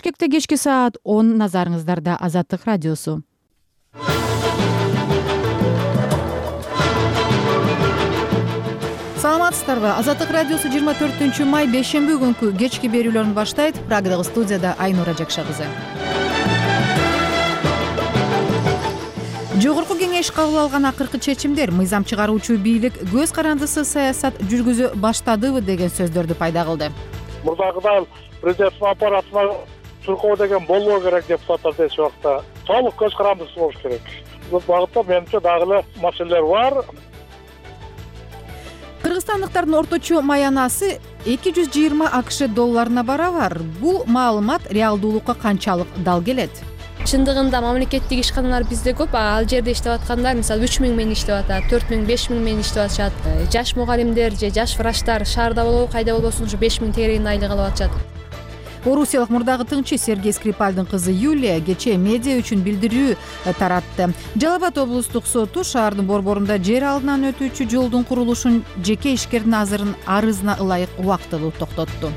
Бишкекте кечки саат 10 назарыңыздарда Азаттык радиосу. Саламатсыздарбы? Азаттык радиосу 24 май бейшемби күнкү кечки берүүлөрүн баштайт. Прагадагы студияда Айнура Жакша кызы. Жогорку кеңеш кабыл алган акыркы чечимдер мыйзам чыгаруучу бийлик көз карандысыз саясат жүргүзө баштадыбы деген сөздөрдү пайда кылды. Мурдагыдан президенттин аппаратына чуркоо деген болбоо керек деп депутаттар дешип убакта толук көз карандысыз болуш керек. Бул багытта менимче дагы эле маселелер бар. Кыргызстандыктардын орточо маянасы 220 АКШ долларына барабар. Бул маалымат реалдуулукка канчалык дал келет? Чындыгында мамлекеттик ишканалар бизде көп. Ал жерде иштеп аткандар мисалы 3000 менен иштеп атат, 4000, 5000 менен иштеп атышат. Жаш мугалимдер же жаш врачтар шаарда болобу, кайда болбосун ушу 5000 тегерегин айлык алып атышат. Орусиялык мурдагы тыңчы Сергей Скрипальдын кызы Юлия кечээ медиа үчүн билдирүү таратты. Жалал Абад облустук соту шаардын борборунда жер алдынан өтүүчү жолдун курулушун жеке ишкердин арызына ылайык убактылуу токтотту.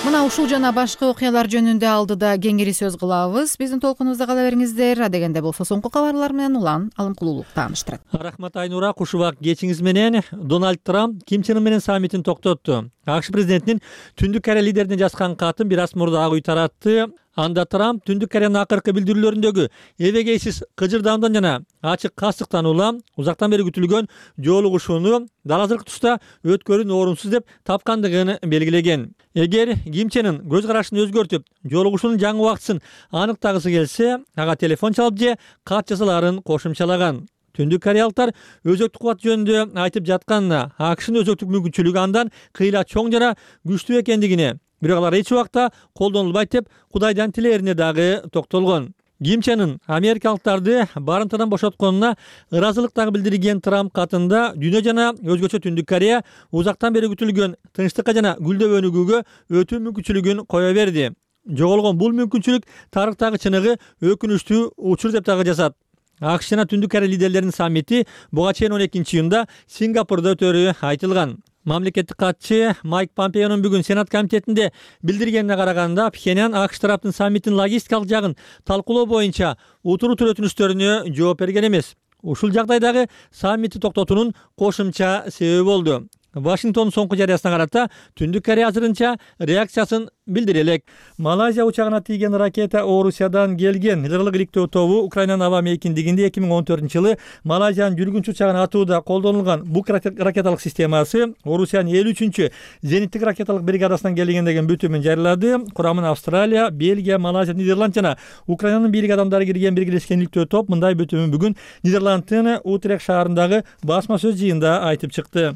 Мына ушул жана башка окуялар жөнүндө алдыда кеңири сөз кылабыз. Биздин толкунубузда кала бериңиздер. Адегенде болсо соңку кабарлар менен Улан Алымкулуулук тааныштырат. Рахмат Айнура. Кушубак кечиңиз менен Дональд Трамп Ким Чен Ын менен саммитин токтотту. АКШ президентинин Түндүк Корея лидерине жазган катын бир аз мурда ак үй таратты. Анда Трамп Түндүк Кореянын акыркы билдирүүлөрүндөгү эбегейсиз кыжырдаамдан жана ачык кастыктан улам узактан бери күтүлгөн жолугушууну дал азыркы туста өткөрүүнү орунсуз деп тапкандыгын белгилеген. Эгер Ким Чен Ын көз карашын өзгөртүп, жолугушуунун жаңы убактысын аныктагысы келсе, ага телефон чалып же кат жазаларын кошумчалаган. Түндүк кореялыктар өзөктүк кубат жөнүндө айтып жатканына, АКШнын өзөктүк мүмкүнчүлүгү андан кыйла чоң жана күчтүү экендигине, бирок алар эч убакта колдонулбайт деп Кудайдан тилээрине дагы токтолгон. Ким Чен Ын америкалыктарды барымтадан бошотконуна ыраазылык дагы билдирген Трамп катында дүйнө жана өзгөчө Түндүк Корея узактан бери күтүлгөн тынчтыкка жана гүлдөп өнүгүүгө өтүү мүмкүнчүлүгүн кое берди. Жоголгон бул мүмкүнчүлүк тарыхтагы чыныгы өкүнүчтүү учур деп дагы жазат. АКШ жана Түндүк Корея лидерлеринин саммити буга чейин 12-июнда Сингапурда өтөрү айтылган. Мамлекеттик катчы Майк Помпеонун бүгүн Сенат комитетинде билдиргенине караганда, Пхеньян АКШ тараптын саммиттин логистикалык жагын талкуулоо боюнча утур-утур өтүнүчтөрүнө жооп берген эмес. Ушул жагдайдагы саммитти токтотуунун кошумча себеби болду. Вашингтондун соңку жарыясына карата Түндүк Корея азырынча реакциясын билдире элек. Малайзия учагына тийген ракета Орусиядан келген. Ылдырлык иликтөө тобу Украинанын аба мейкиндигинде 2014-жылы Малайзиянын жүргүнчү учагын атууда колдонулган бук ракеталык системасы Орусиянын 53-чү зениттик ракеталык бригадасынан келген деген бүтүмүн жарыялады. Курамына Австралия, Бельгия, Малайзия, Нидерланд жана Украинанын бийлик адамдары кирген биргелешкен иликтөө топ мындай бүтүмүн бүгүн Нидерландтын Утрехт шаарындагы басма сөз жыйында айтып чыкты.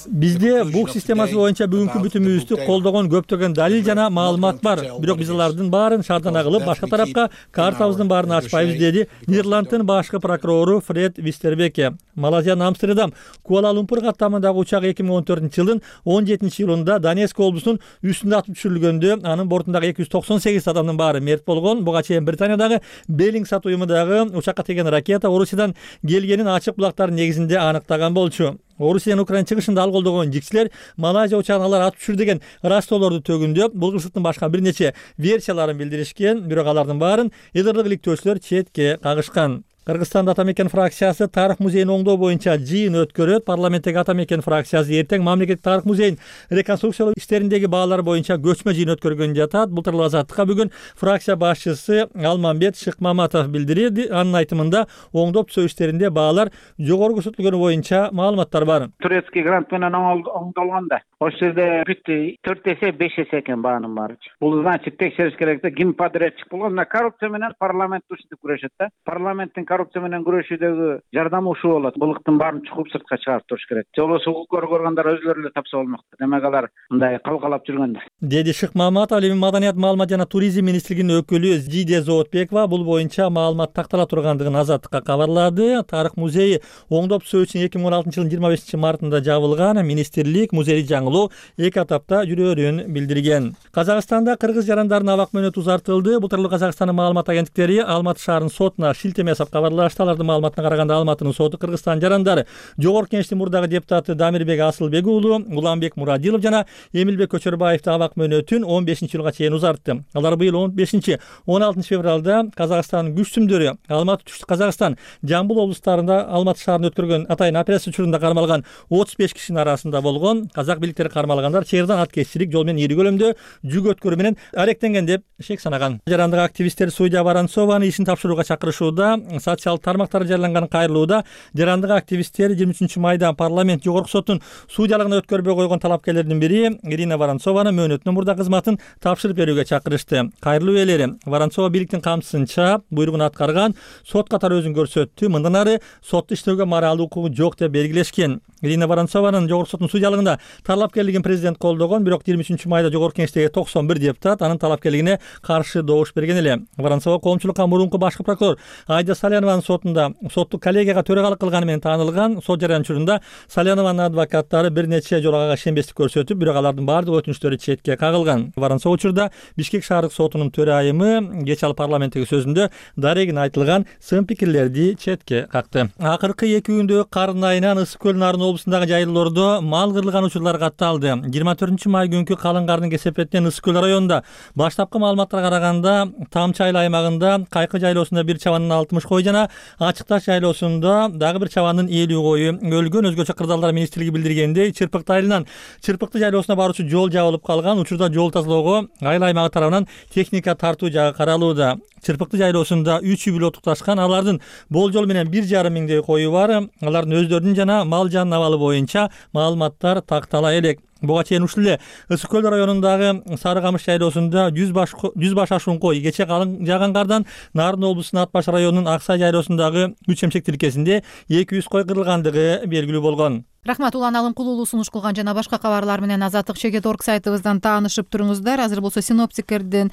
Бизде бук системасы боюнча бүгүнкү бүтүмүбүздү колдогон көптөгөн далил жана маалымат бар. Бирок биз алардын баарын шаардан агылып, башка тарапка картабыздын баарын ачпайбыз, деди Нидерландтын башкы прокурору Фред Вистербеке. Малайзиянын Амстердам Куала-Лумпур каттамындагы учак 2014-жылдын 17-июлунда Донецк облусунун үстүндө атып түшүрүлгөндө анын бортундагы 298 адамдын баары мерт болгон. Буга чейин Британиядагы Беллингсат уюмундагы учакка тийген ракета Орусиядан келгенин ачык булактардын негизинде аныктаган болчу. Орусиянын Украина чыгышында ал колдогон жикчилер Малайзия учагын алар атып түшүр деген ыраазчылоолорду төгүндөп, бул кырсыктын башка бир нече версияларын билдиришкен, бирок алардын баарын ылдырлык иликтөөчүлөр четке кагышкан. Кыргызстанда Атамекен фракциясы тарых музейин оңдоо боюнча жыйын өткөрөт. Парламенттеги Атамекен фракциясы эртең мамлекеттик тарых музейин реконструкциялоо иштериндеги баалар боюнча көчмө жыйын өткөргөн жатат. Бул тууралуу Азаттыкка бүгүн фракция башчысы Алмамбет Шыкмаматов билдирди. Анын айтымында оңдоп түзөө иштеринде баалар жогору көрсөтүлгөнү боюнча маалыматтар бар. Турецкий грант менен оңдолгонда ошол жерде бүттү 4 эсе 5 эсе экен баанын баары. Бул значит текшериш керек да, ким подрядчик болгон. Коррупция менен парламент ушинтип күрөшөт да. Парламенттин коррупция менен күрөшүүдөгү жардамы ушул болот. Булыктын баарын чукуп сыртка чыгарып туруш керек. Же болбосо укук көргөндөр өзлөрү эле тапса болмок. Демек алар мындай калкалап жүргөндө. Деди Шыкмаматов. Ал эми Маданият, маалымат жана туризм министрлигинин өкүлү Зидия Зоотбекова бул боюнча маалымат тактала тургандыгын Азаттыкка кабарлады. Тарых музейи оңдоп түзөө үчүн 2016-жылдын 25-мартында жабылган. Министрлик музейди жаңылоо 2 этапта жүрөөрүн билдирген. Казакстанда кыргыз жарандарынын абак мөөнөтү узартылды. Бул тууралуу Казакстандын маалымат агенттиктери Алматы шаарынын сотуна шилтеме жасап кабарлашты. Алардын маалыматына караганда Алматынын соту Кыргызстан жарандары Жогорку Кеңештин мурдагы депутаты Дамирбек Асылбек уулу, Уланбек Мурадилов жана Эмилбек Көчөрбаевдин абак мөөнөтүн 15-жылга чейин узартты. Алар быйыл 15-16 февралда Казакстандын күчтүмдөрү Алматы, Түштүк Казакстан, Жамбыл облустарында Алматы шаарында өткөргөн атайын операция учурунда кармалган 35 кишинин арасында болгон. Казак бийликтери кармалгандар чейирдан аткезчилик жол менен ири көлөмдө жүк өткөрүү менен аректенген деп шек санаган. Жарандык активисттер судья Воронцованы ишин тапшырууга чакырышууда. Социалдык тармактарда жарыяланган кайрылууда жарандык активисттер 23 майда парламент жогорку соттун судьялыгына өткөрбөй койгон талапкерлердин бири Ирина Воронцованы мөөнөтүнөн мурда кызматын тапшырып берүүгө чакырышты. Кайрылуу ээлери Воронцова бийликтин камсызынча буйругун аткарган, сот катары өзүн көрсөттү. Мындан ары сотто иштөөгө моралдык укугу жок деп белгилешкен. Ирина Воронцованын жогорку соттун судьялыгында талапкерлигин президент колдогон, бирок 23 майда жогорку кеңештеги 91 депутат анын талапкерлигине каршы добуш берген эле. Воронцова коомчулукка мурунку башкы прокурор Айда Салянованын сотунда соттук коллегияга төрагалык кылганы менен таанылган. Сот жарыян учурунда Салянованын адвокаттары бир нече жолу ага ишенбестик көрсөтүп, бирок алардын баардык өтүнүчтөрү четке кагылган. Воронцова учурда Бишкек шаардык сотунун төрайымы кеч ал парламенттеги сөзүндө дарегин айтылган сын пикирлерди четке какты. Акыркы 2 күндө кардын айынан Ысык көл Нарын облусундагы жайлоордо мал кырылган учурлар катталды. 24 май күнкү калың кардын кесепетинен Ысык көл районунда баштапкы маалыматтарга караганда Там чайлы аймагында Кайкы жайлоосунда бир чабандын 60 кой жана Ачык Таш жайлоосунда дагы бир чабандын 50 кою өлгөн. Өзгөчө Кырдаалдар министрлиги билдиргендей, Чырпыкты айылынан Чырпыкты жайлоосуна баруучу жол жабылып калган. Учурда жол тазалоого айыл аймагы тарабынан техника тартуу жагы каралууда. Чырпыкты жайлоосунда 3 үй бүлө тукташкан. Алардын болжол менен 1,5 миңдей кою бар. Алардын өздөрүнүн жана мал жан абалы боюнча маалыматтар тактала элек. Буга чейин ушул эле Ысык көл районундагы Сары Камыш жайлоосунда 100 баш ашуун кой кече калың жааган кардан Нарын облусунун Ат Баш районунун Аксай жайлоосундагы 3 эмчек тилкесинде 200 кой кырылгандыгы белгилүү болгон. Рахмат, Улан Алымкулуулу сунуш кылган жана башка кабарлар менен Азаттык Чекет.org сайтыбыздан таанышып туруңуздар. Азыр болсо синоптиктердин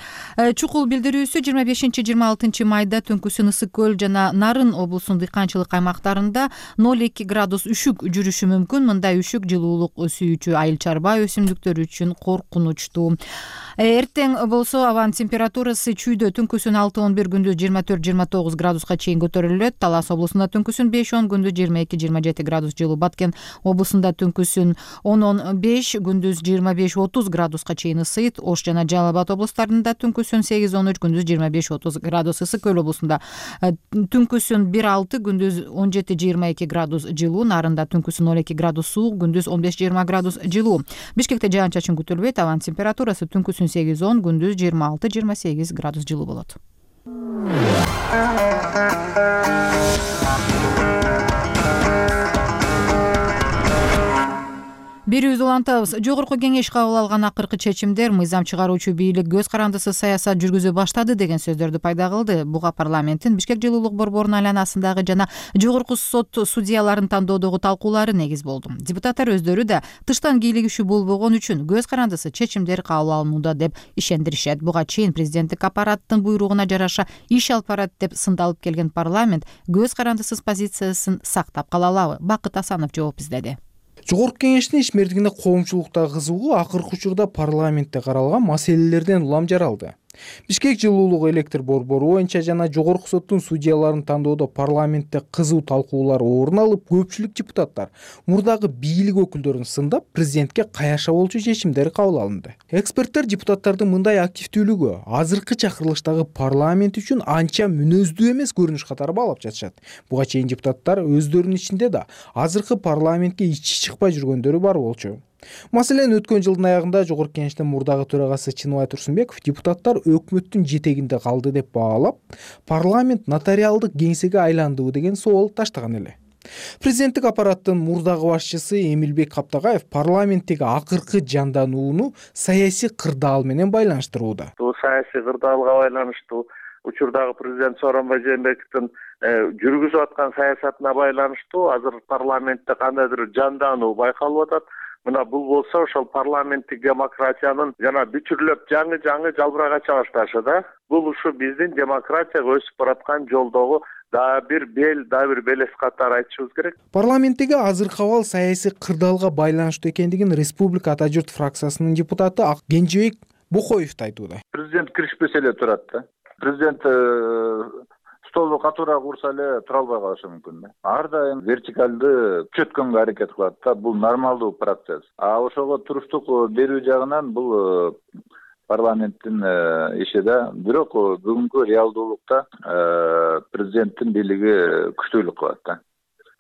чукул билдирүүсү 25-26 майда түнкүсүн Ысык көл жана Нарын облусунун дыйканчылык аймактарында 0,2 градус үшүк жүрүшү мүмкүн. Мындай үшүк жылуулук сүйүүчү айыл чарба өсүмдүктөр үчүн коркунучтуу. Эртең болсо абанын температурасы чүйдө түнкүсүн 6-11, күндүз 24-29 градуска чейин көтөрүлөт. Талас облусунда түнкүсүн 5-10, күндүз 22-27 градус жылуу. Баткен облусунда түнкүсүн 10-15, күндүз 25-30 градуска чейин ысыйт. Ош жана Жалал Абад облустарында түнкүсүн 8-13, күндүз 25-30 градус. Ысык көл облусунда түнкүсүн 1-6, күндүз 17-22 градус жылуу. Нарында түнкүсүн 12 градус суук, күндүз 15-20 градус жылуу. Бишкекте жаан-чачын күтүлбөйт. Абанын температурасы түнкүсүн 8-10, күндүз 26-28 градус жылуу болот. Берүүбүздү улантабыз. Жогорку кеңеш кабыл алган акыркы чечимдер мыйзам чыгаруучу бийлик көз карандысыз саясат жүргүзө баштады деген сөздөрдү пайда кылды. Буга парламенттин Бишкек жылуулук борборунун айланасындагы жана жогорку сот судьяларын тандоодогу талкуулары негиз болду. Депутаттар өздөрү да тыштан кийлигишүү болбогон үчүн көз карандысыз чечимдер кабыл алынууда деп ишендиришет. Буга чейин президенттик аппараттын буйругуна жараша иш алып барат деп сындалып келген парламент көз карандысыз позициясын сактап кала алабы? Бакыт Асанов жооп издеди. Жогорку кеңештин ишмердигине коомчулукта кызыгуу акыркы учурда парламентте каралган маселелерден улам жаралды. Бишкек жылуулук электр борбору боюнча жана жогорку соттун судьяларын тандоодо парламентте кызуу талкуулар орун алып, көпчүлүк депутаттар мурдагы бийлик өкүлдөрүн сындап, президентке каяша болчу чечимдер кабыл алынды. Эксперттер депутаттардын мындай активдүүлүгү азыркы чакырылыштагы парламент үчүн анча мүнөздүү эмес көрүнүш катары баалап жатышат. Буга чейин депутаттар өздөрүнүн ичинде да азыркы парламентке ичи чыкпай жүргөндөрү бар болчу. Маселен, өткөн жылдын аягында жогорку кеңештин мурдагы төрагасы Чыныбай Турсунбеков депутаттар өкмөттүн жетегинде калды деп баалап, парламент нотариалдык кеңсеге айландыбы деген соол таштаган эле. Президенттик аппараттын мурдагы башчысы Эмилбек Каптагаев парламенттеги акыркы жанданууну саясий кырдаал менен байланыштырууда. Бул саясий кырдаалга байланыштуу, учурдагы президент Сооронбай Жээнбековдун жүргүзүп аткан саясатына байланыштуу азыр парламентте кандайдыр жандануу байкалып атат. Мына бул болсо ошол парламенттик демократиянын жана бүтүрлөп жаңы жалбырак ача башташы да. Бул ушу биздин демократияга өсүп бараткан жолдогу дагы бир белес катары айтышыбыз керек. Парламенттеги азыркы абал саясий кырдаалга байланыштуу экендигин Республика Ата журт фракциясынын депутаты Кенжебек Бокоев айтууда. Президент киришпесе эле турат да. Президент столду катуураак урса эле тура албай калышы мүмкүн да. Ар дайым вертикалды күчөткөнгө аракет кылат да. Бул нормалдуу процесс. Ошого туруштук берүү жагынан бул парламенттин иши да. Бирок бүгүнкү реалдуулукта президенттин бийлиги күчтүүлүк кылат да.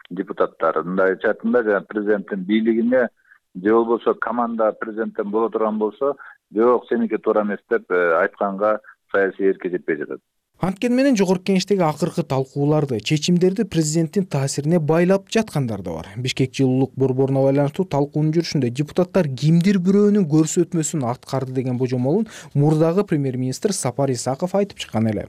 Депутаттар мындай айтатында жана президенттин бийлигине же болбосо команда президенттен боло турган болсо, жок сеники туура эмес деп айтканга саясий эрке жетпей жатат. Анткени менен жогорку кеңештеги акыркы талкууларды, чечимдерди президенттин таасирине байлап жаткандар да бар. Бишкек жылуулук борборуна байланыштуу талкуунун жүрүшүндө депутаттар кимдир бирөөнүн көрсөтмөсүн аткарды деген божомолун мурдагы премьер-министр Сапар Исаков айтып чыккан эле.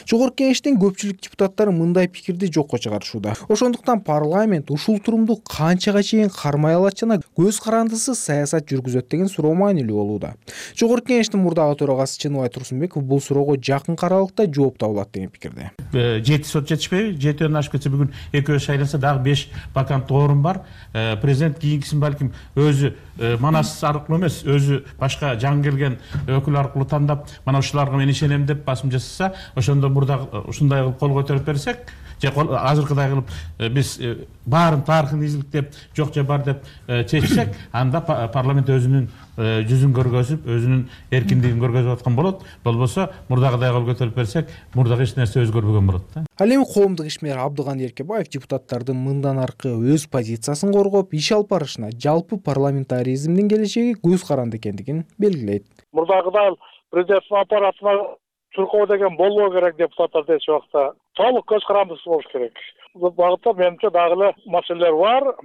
Жогорку кеңештин көпчүлүк депутаттары мындай пикирди жокко чыгарышууда. Ошондуктан парламент ушул турумду канчага чейин кармай алат жана көз карандысыз саясат жүргүзөт деген суроо маанилүү болууда. Жогорку кеңештин мурдагы төрагасы Чыныбай Турсунбеков бул суроого жакын аралыкта жооп табылат деген пикирде. 7 сот жетишпейби? 7ден ашып кетсе бүгүн экөө шайланса дагы 5 ваканттуу орун бар. Президент кийинкисин балким өзү манас аркылуу эмес, өзү башка жаңы келген өкүл аркылуу тандап, мана ушуларга мен ишенем деп басым жасаса, ошондо мурда ушундай кылып кол көтөрүп берсек, же азыркыдай кылып биз баарын тарыхын изиликтеп, жок же бар деп чечсек, анда парламент өзүнүн жүзүн көргөзүп, өзүнүн эркиндигин көргөзүп аткан болот. Болбосо мурдагыдай кол көтөрүп берсек, мурдагы эч нерсе өзгөрбөгөн болот да. Ал эми коомдук ишмер Абдыган Эркебаев депутаттардын мындан аркы өз позициясын коргоп, иш алып барышына, жалпы парламентаризмдин келечеги көз каранды экендигин белгилейт. Мурдагыдай президенттин аппаратына чуркоо деген болбоо керек, депутаттар дечи убакта толук көз карандысыз болуш керек. Бул багытта менимче дагы эле маселелер бар.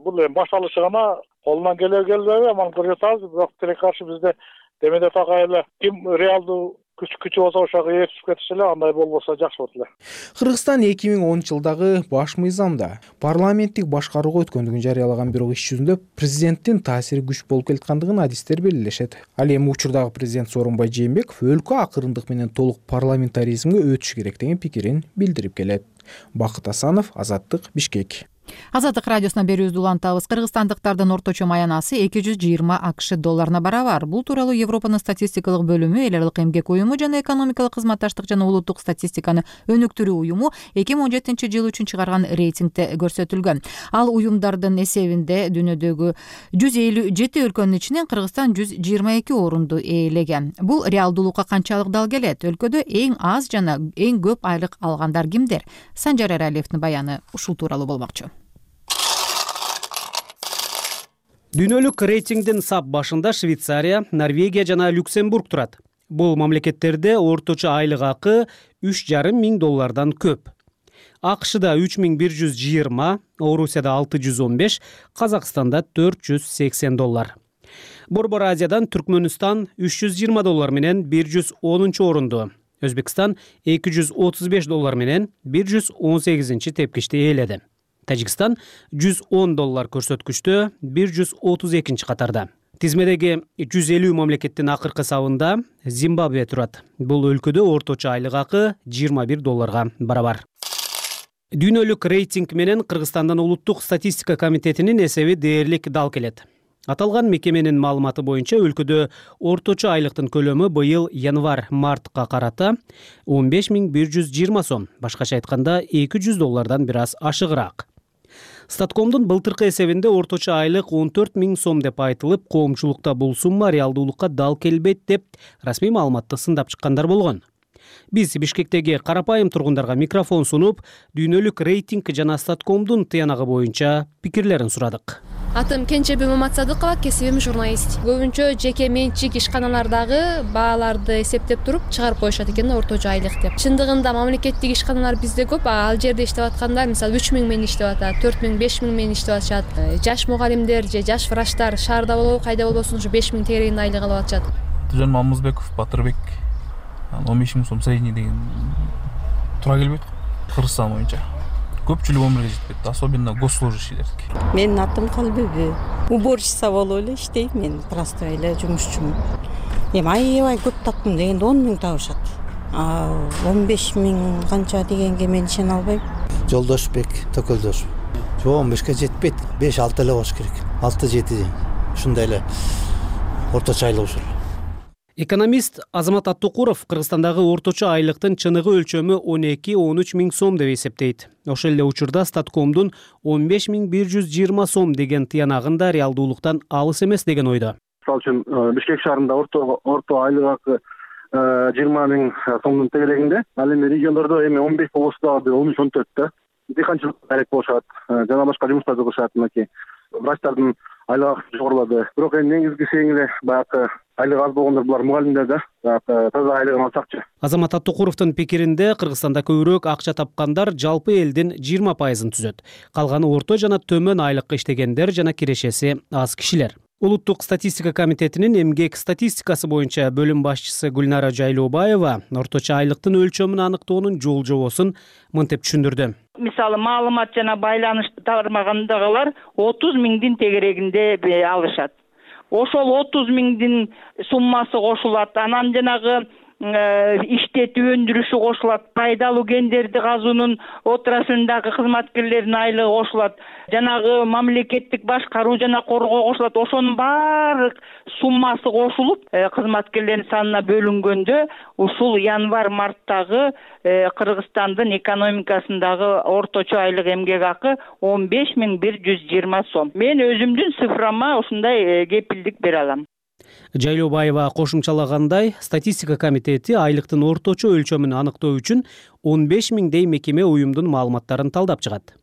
Бул эми башталышы гана, колунан келбейби, аман көрүп атабыз. Бирок тилекке каршы бизде демеде такай эле ким реалдуу күчү болсо ошого ээрчип кетиши эле, андай болбосо жакшы болот эле. Кыргызстан 2010-жылдагы баш мыйзамда парламенттик башкарууга өткөндүгүн жарыялаган, бирок иш жүзүндө президенттин таасири күч болуп келаткандыгын адистер белгилешет. Ал эми учурдагы президент Сооронбай Жээнбеков өлкө акырындык менен толук парламентаризмге өтүш керек деген пикирин билдирип келет. Бакыт Асанов, Азаттык, Бишкек. Азаттык радиосуна берүүбүздү улантабыз. Кыргызстандыктардын орточо маянасы 220 АКШ долларына барабар. Бул тууралуу Европанын статистикалык бөлүмү, Эл аралык эмгек уюму жана экономикалык кызматташтык жана улуттук статистиканы өнүктүрүү уюму 2017-жыл үчүн чыгарган рейтингде көрсөтүлгөн. Ал уюмдардын эсебинде дүйнөдөгү 157 өлкөнүн ичинен Кыргызстан 122 орунду ээлеген. Бул реалдуулукка канчалык дал келет? Өлкөдө эң аз жана эң көп айлык алгандар кимдер? Санжар Эралиевдин баяны ушул тууралуу болмокчу. Дүйнөлүк рейтингдин сап башында Швейцария, Норвегия жана Люксембург турат. Бул мамлекеттерде орточо айлык акы $3,500 көп. АКШда 3120, Орусияда 615, Казакстанда $480. Борбор Азиядан Түркмөнстан $320 менен 110 орунду. Өзбекстан $235 менен 118 тепкичти ээледи. Тажикстан $110 көрсөткүчтө 132 катарда. Тизмедеги 150 мамлекеттин акыркы сабында Зимбабве турат. Бул өлкөдө орточо айлык акы $21 барабар. Дүйнөлүк рейтинг менен Кыргызстандын улуттук статистика комитетинин эсеби дээрлик дал келет. Аталган мекеменин маалыматы боюнча өлкөдө орточо айлыктын көлөмү быйыл январь-мартка карата 15.120 сом, башкача айтканда $200 бир аз ашыгыраак. Статкомдун былтыркы эсебинде орточо айлык 14.000 сом деп айтылып, коомчулукта бул сумма реалдуулукка дал келбейт деп расмий маалыматты сындап чыккандар болгон. Биз Бишкектеги карапайым тургундарга микрофон сунуп, дүйнөлүк рейтинг жана Статкомдун тыянагы боюнча пикирлерин сурадык. Атым Кенчеби Маматсадыкова, кесибим журналист. Көбүнчө жеке менчик ишканалардагы бааларды эсептеп туруп чыгарып коюшат экен орточо айлык деп. Чындыгында мамлекеттик ишканалар бизде көп, ал жерде иштеп аткандар мисалы 3000 менен иштеп атат, 4000, 5000 менен иштеп атышат. Жаш мугалимдер же жаш врачтар шаарда болобу, кайда болбосун ушу 5000 тегерегин айлык алып атышат. Жөн Мамызбеков, Батырбек 15.000 сом средний деген туура келбейт. Кыргызстан боюнча көпчүлүк өмүргө жетпейт, особенно госслужащийлердики. Менин атым Калбеби. Уборщица болуп эле иштейм, мен простой эле жумушчумун. Эми аябай көп таптым дегенде 10.000 табышат. 15.000 канча дегенге мен ишене албайм. Жолдошбек Төкөлдөш. Жок, 15ке жетпейт. 5-6 эле болуш керек. 6-7 ушундай эле орточо айлык ушул. Экономист Азамат Аттукуров Кыргызстандагы орточо айлыктын чыныгы өлчөмү 12-13 миң сом деп эсептейт. Ошол эле учурда Статкомдун 15.120 сом деген тыянагын да реалдуулуктан алыс эмес деген ойдо. Мисалы үчүн Бишкек шаарында орто айлык акы 20 миң сомдун тегерегинде, ал эми региондордо эми 15 болсо дагы 13-14 да. Дыйканчылык керек болушат, жана башка жумуштарды кылышат мынакей. Врачтардын айлык акысы жогорулады. Бирок эми негизгиси эле баягы айлык аз болгондор булар мугалимдер да, таза айлыгын алсакчы. Азамат Аттукуровдун пикиринде Кыргызстанда көбүрөөк акча тапкандар жалпы элдин 20% түзөт. Калганы орто жана төмөн айлыкка иштегендер жана кирешеси аз кишилер. Улуттук статистика комитетинин эмгек статистикасы боюнча бөлүм башчысы Гүлнара Жайлообаева орточо айлыктын өлчөмүн аныктоонун жол жобосун мынтип түшүндүрдү. Мисалы маалымат жана байланыш тармагындагылар 30 миңдин тегерегинде алышат. Ошол 30 миңдин суммасы кошулат. Анан жанагы иштетүү өндүрүшү кошулат. Пайдалуу кендерди казуунун отраслындагы кызматкерлердин айлыгы кошулат. Жанагы мамлекеттик башкаруу жана коргоо кошулат. Ошонун баардык суммасы кошулуп, кызматкерлердин санына бөлүнгөндө ушул январь-марттагы Кыргызстандын экономикасындагы орточо айлык эмгек акы 15.120 сом. Мен өзүмдүн цифрама ушундай кепилдик бере алам. Жайлообаева кошумчалагандай, статистика комитети айлыктын орточо өлчөмүн аныктоо үчүн 15 миңдей мекеме уюмдун маалыматтарын талдап чыгат.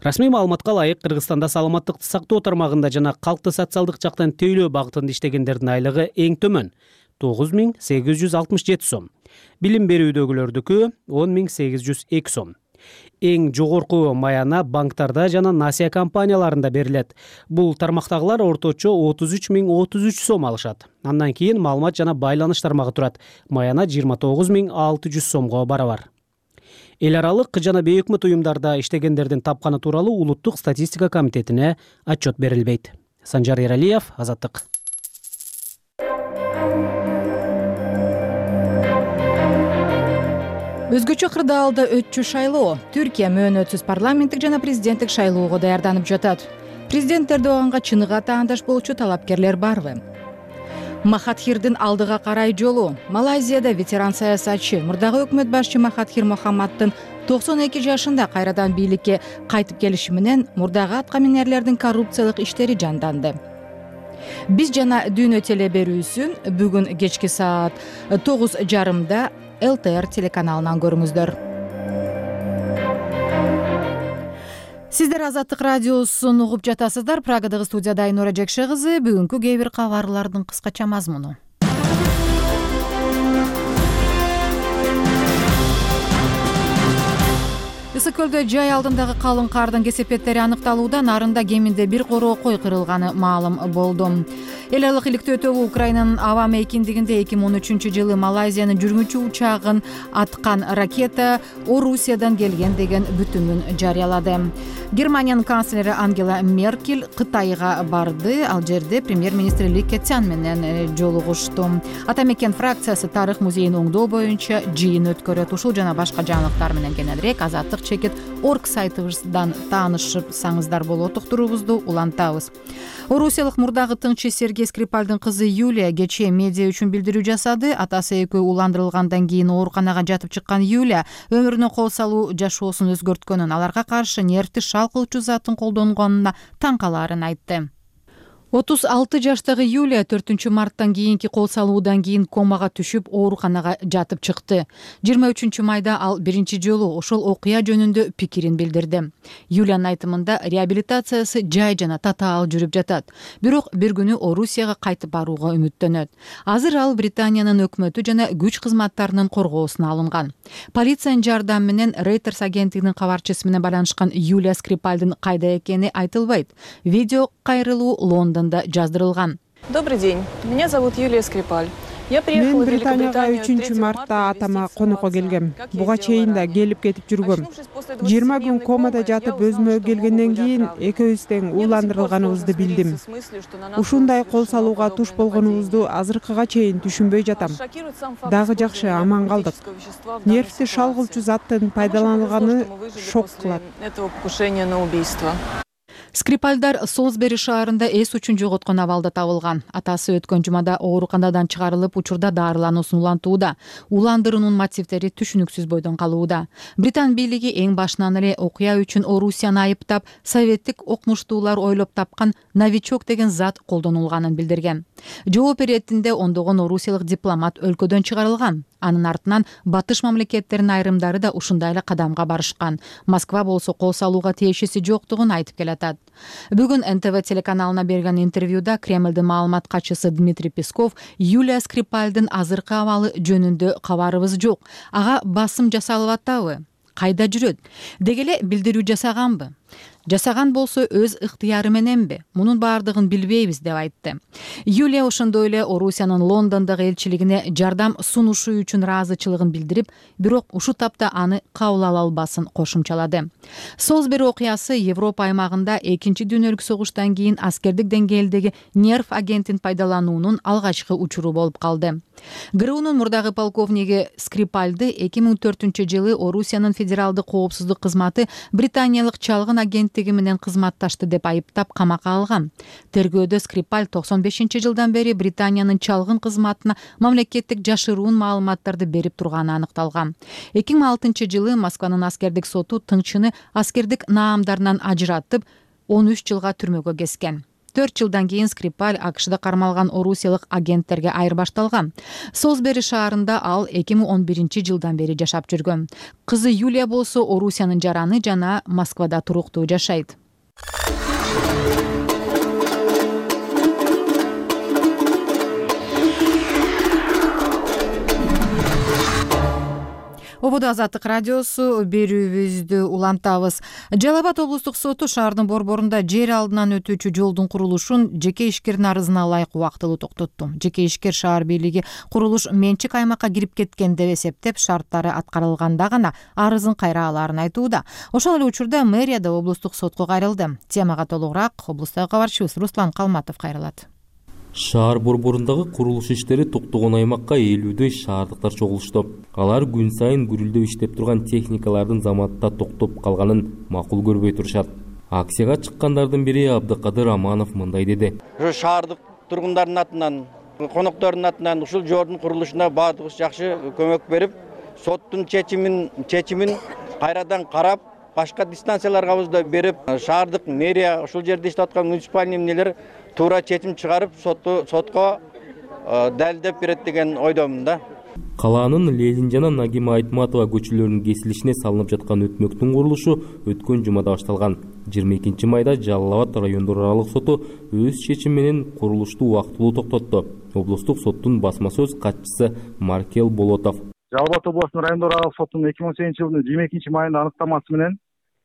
Расмий маалыматка ылайык Кыргызстанда саламаттыкты сактоо тармагында жана калкты социалдык жактан тейлөө багытында иштегендердин айлыгы эң төмөн 9.867 сом. Билим берүүдөгүлөрдүкү 10.802 сом. Эң жогорку маяна банктарда жана насия компанияларында берилет. Бул тармактагылар орточо 33.033 сом алышат. Андан кийин маалымат жана байланыш тармагы турат. Маяна 29.600 сомго барабар. Эл аралык жана бейөкмөт уюмдарда иштегендердин тапканы тууралуу Улуттук статистика комитетине отчет берилбейт. Санжар Эралиев, Азаттык. Өзгөчө кырдаалда өтчү шайлоо. Түркия мөөнөтсүз парламенттик жана президенттик шайлоого даярданып жатат. Президент Эрдоганга чыныгы таандаш болчу талапкерлер барбы? Махатхирдин алдыга карай жолу. Малайзияда ветеран саясатчы, мурдагы өкмөт башчы Махатхир Мохаммаддын 92 жашында кайрадан бийликке кайтып келиши менен мурдагы атка минерлердин коррупциялык иштери жанданды. Биз жана Дүйнө теле берүүсүн бүгүн кечки саат 9:30 ЛТР телеканалынан көрүңүздөр. Сиздер Азаттык радиосун угуп жатасыздар. Прагадагы студияда Айнура Жекше кызы. Бүгүнкү кээ бир кабарлардын кыскача мазмуну. Ысык көлдө жай алдындагы калың кардын кесепеттери аныкталууда, нарында кеминде бир короо кой кырылганы маалым болду. Эл аралык иликтөө тобу Украинанын аба мейкиндигинде 2013-жылы Малайзиянын жүргүнчү учагын аткан ракета Орусиядан келген деген бүтүмүн жарыялады. Германиянын канцлери Ангела Меркель Кытайга барды. Ал жерде премьер-министр Ли Кэцян менен жолугушту. Ата мекен фракциясы тарых музейин оңдоо боюнча жыйын өткөрөт. Ушул жана башка жаңылыктар менен кененирээк Азаттык чекит орг сайтыбыздан таанышсаңыздар болот. Уктуруубузду улантабыз. Орусиялык мурдагы тыңчы Сергей Скрипальдын кызы Юлия кечээ медиа үчүн билдирүү жасады. Атасы экөө уландырылгандан кийин ооруканага жатып чыккан Юлия өмүрүнө кол салуу жашоосун өзгөрткөнүн, аларга каршы нервти шал кылчу затын колдонгонуна таң калаарын айтты. 36 жаштагы Юлия 4 марттан кийинки кол салуудан кийин комага түшүп ооруканага жатып чыкты. 23 майда ал биринчи жолу ошол окуя жөнүндө пикирин билдирди. Юлиянын айтымында реабилитациясы жай жана татаал жүрүп жатат. Бирок бир күнү Орусияга кайтып барууга үмүттөнөт. Азыр ал Британиянын өкмөтү жана күч кызматтарынын коргоосуна алынган. Полициянын жардамы менен Reuters агенттигинин кабарчысы менен байланышкан Юлия Скрипальдын кайда экени айтылбайт. Видео кайрылуу Лондон жаздырылган. Добрый день. Меня зовут Юлия Скрипаль. Мен Британияга 3 мартта атама конокко келгем. Буга чейин да келип кетип жүргөм. 20 күн комада жатып өзүмө келгенден кийин экөөбүз тең уландырылганыбызды билдим. Ушундай кол салууга туш болгонубузду азыркыга чейин түшүнбөй жатам. Дагы жакшы аман калдык. Нервти шал кылчу заттын пайдаланылганы шок кылат. Скрипальдар Солсбери шаарында эс учун жоготкон абалда табылган. Атасы өткөн жумада ооруканадан чыгарылып, учурда дарылануусун улантууда. Уландыруунун мотивдери түшүнүксүз бойдон калууда. Британ бийлиги эң башынан эле окуя үчүн Орусияны айыптап, советтик окумуштуулар ойлоп тапкан новичок деген зат колдонулганын билдирген. Жооп иретинде ондогон орусиялык дипломат өлкөдөн чыгарылган. Анын артынан батыш мамлекеттеринин айрымдары да ушундай эле кадамга барышкан. Москва болсо кол салууга тиешеси жоктугун айтып келатат. Бүгүн НТВ телеканалына берген интервьюда Кремлдин маалымат катчысы Дмитрий Песков Юлия Скрипальдын азыркы абалы жөнүндө кабарыбыз жок. Ага басым жасалып атабы? Кайда жүрөт? Деги эле билдирүү жасаганбы? Жасаган болсо өз ыктыяры мененби? Мунун баардыгын билбейбиз деп айтты. Юлия ошондой эле Орусиянын Лондондогу элчилигине жардам сунушу үчүн ыраазычылыгын билдирип, бирок ушул тапта аны кабыл ала албасын кошумчалады. Солсбери окуясы Европа аймагында Экинчи дүйнөлүк согуштан кийин аскердик деңгээлдеги нерв агентин пайдалануунун алгачкы учуру болуп калды. ГРУнун мурдагы полковниги Скрипальды 2004-жылы Орусиянын федералдык коопсуздук кызматы британиялык чалгын агенттиги менен кызматташты деп айыптап камакка алган. Тергөөдө Скрипаль 95-жылдан бери Британиянын чалгын кызматына мамлекеттик жашыруун маалыматтарды берип турганы аныкталган. 2006-жылы Москванын аскердик соту тыңчыны аскердик наамдарынан ажыратып, 13 жылга түрмөгө кескен. 4 жылдан кийин Скрипаль АКШда кармалган орусиялык агенттерге айырбашталган. Солсбери шаарында ал 2011-жылдан бери жашап жүргөн. Кызы Юлия болсо Орусиянын жараны жана Москвада туруктуу жашайт. Ободо Азаттык радиосу берүүбүздү улантабыз. Жалал Абад облустук соту шаардын борборунда жер алдынан өтүүчү жолдун курулушун жеке ишкердин арызына ылайык убактылуу токтотту. Жеке ишкер шаар бийлиги курулуш менчик аймакка кирип кеткен деп эсептеп, шарттары аткарылганда гана арызын кайра алаарын айтууда. Ошол эле учурда мэрия да облустук сотко кайрылды. Темага толугураак облустук кабарчыбыз Руслан Калматов кайрылат. Шаар борборундагы курулуш иштери токтогон аймакка 50дөй шаардыктар чогулушту. Алар күн сайын гүрүлдөп иштеп турган техникалардын заматта токтоп калганын макул көрбөй турушат. Акцияга чыккандардын бири Абдыкадыр Аманов мындай деди. Шаардык тургундардын атынан, коноктордун атынан ушул жолдун курулушуна баардыгыбыз жакшы көмөк берип, соттун чечимин кайрадан карап, башка дистанцияларга да берип, шаардык мэрия ушул жерде иштеп аткан муниципальный эмнелер туура чечим чыгарып, сотко далилдеп берет деген ойдомун да. Калаанын Ленин жана Нагима Айтматова көчөлөрүнүн кесилишине салынып жаткан өтмөктүн курулушу өткөн жумада башталган. 22 майда Жалал Абад райондор аралык соту өз чечими менен курулушту убактылуу токтотту. Облустук соттун басма сөз катчысы Маркел Болотов. Жалал Абад областынын райондор аралык сотунун 2018-жылдын 22 майында аныктамасы менен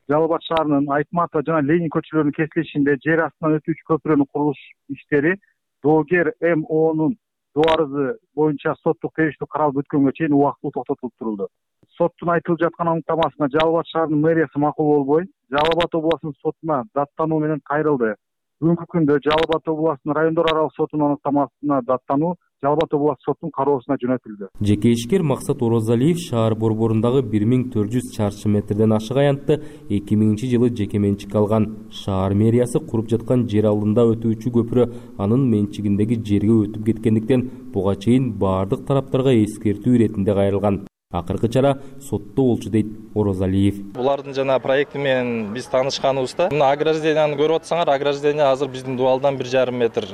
Жалал Абад шаарынын Айтматова жана Ленин көчөлөрүнүн кесилишинде жер астынан өтүүчү көпүрөнүн курулуш иштери доогер МОнун доо арызы боюнча соттук териштүү каралып өткөнгө чейин убактылуу токтотулуп турулду. Соттун айтылып жаткан аныктамасына Жалал Абад шаарынын мэриясы макул болбой, Жалал Абад областынын сотуна даттануу менен кайрылды. Бүгүнкү күндө Жалал Абад областынын райондор аралык сотунун аныктамасына даттануу Жалал Абад областык соттун кароосуна жөнөтүлдү. Жеке ишкер Максат Орозалиев шаар борборундагы 1400 чарчы метрден ашык аянтты 2000-жылы жеке менчикке алган. Шаар мэриясы куруп жаткан жер алдында өтүүчү көпүрө анын менчигиндеги жерге өтүп кеткендиктен буга чейин баардык тараптарга эскертүү иретинде кайрылган. Акыркы чара сотто болчу дейт Орозалиев. Булардын жана проекти менен биз таанышканыбызда, мына огражденияны көрүп атсаңар, ограждение азыр биздин дуалдан 1,5 метр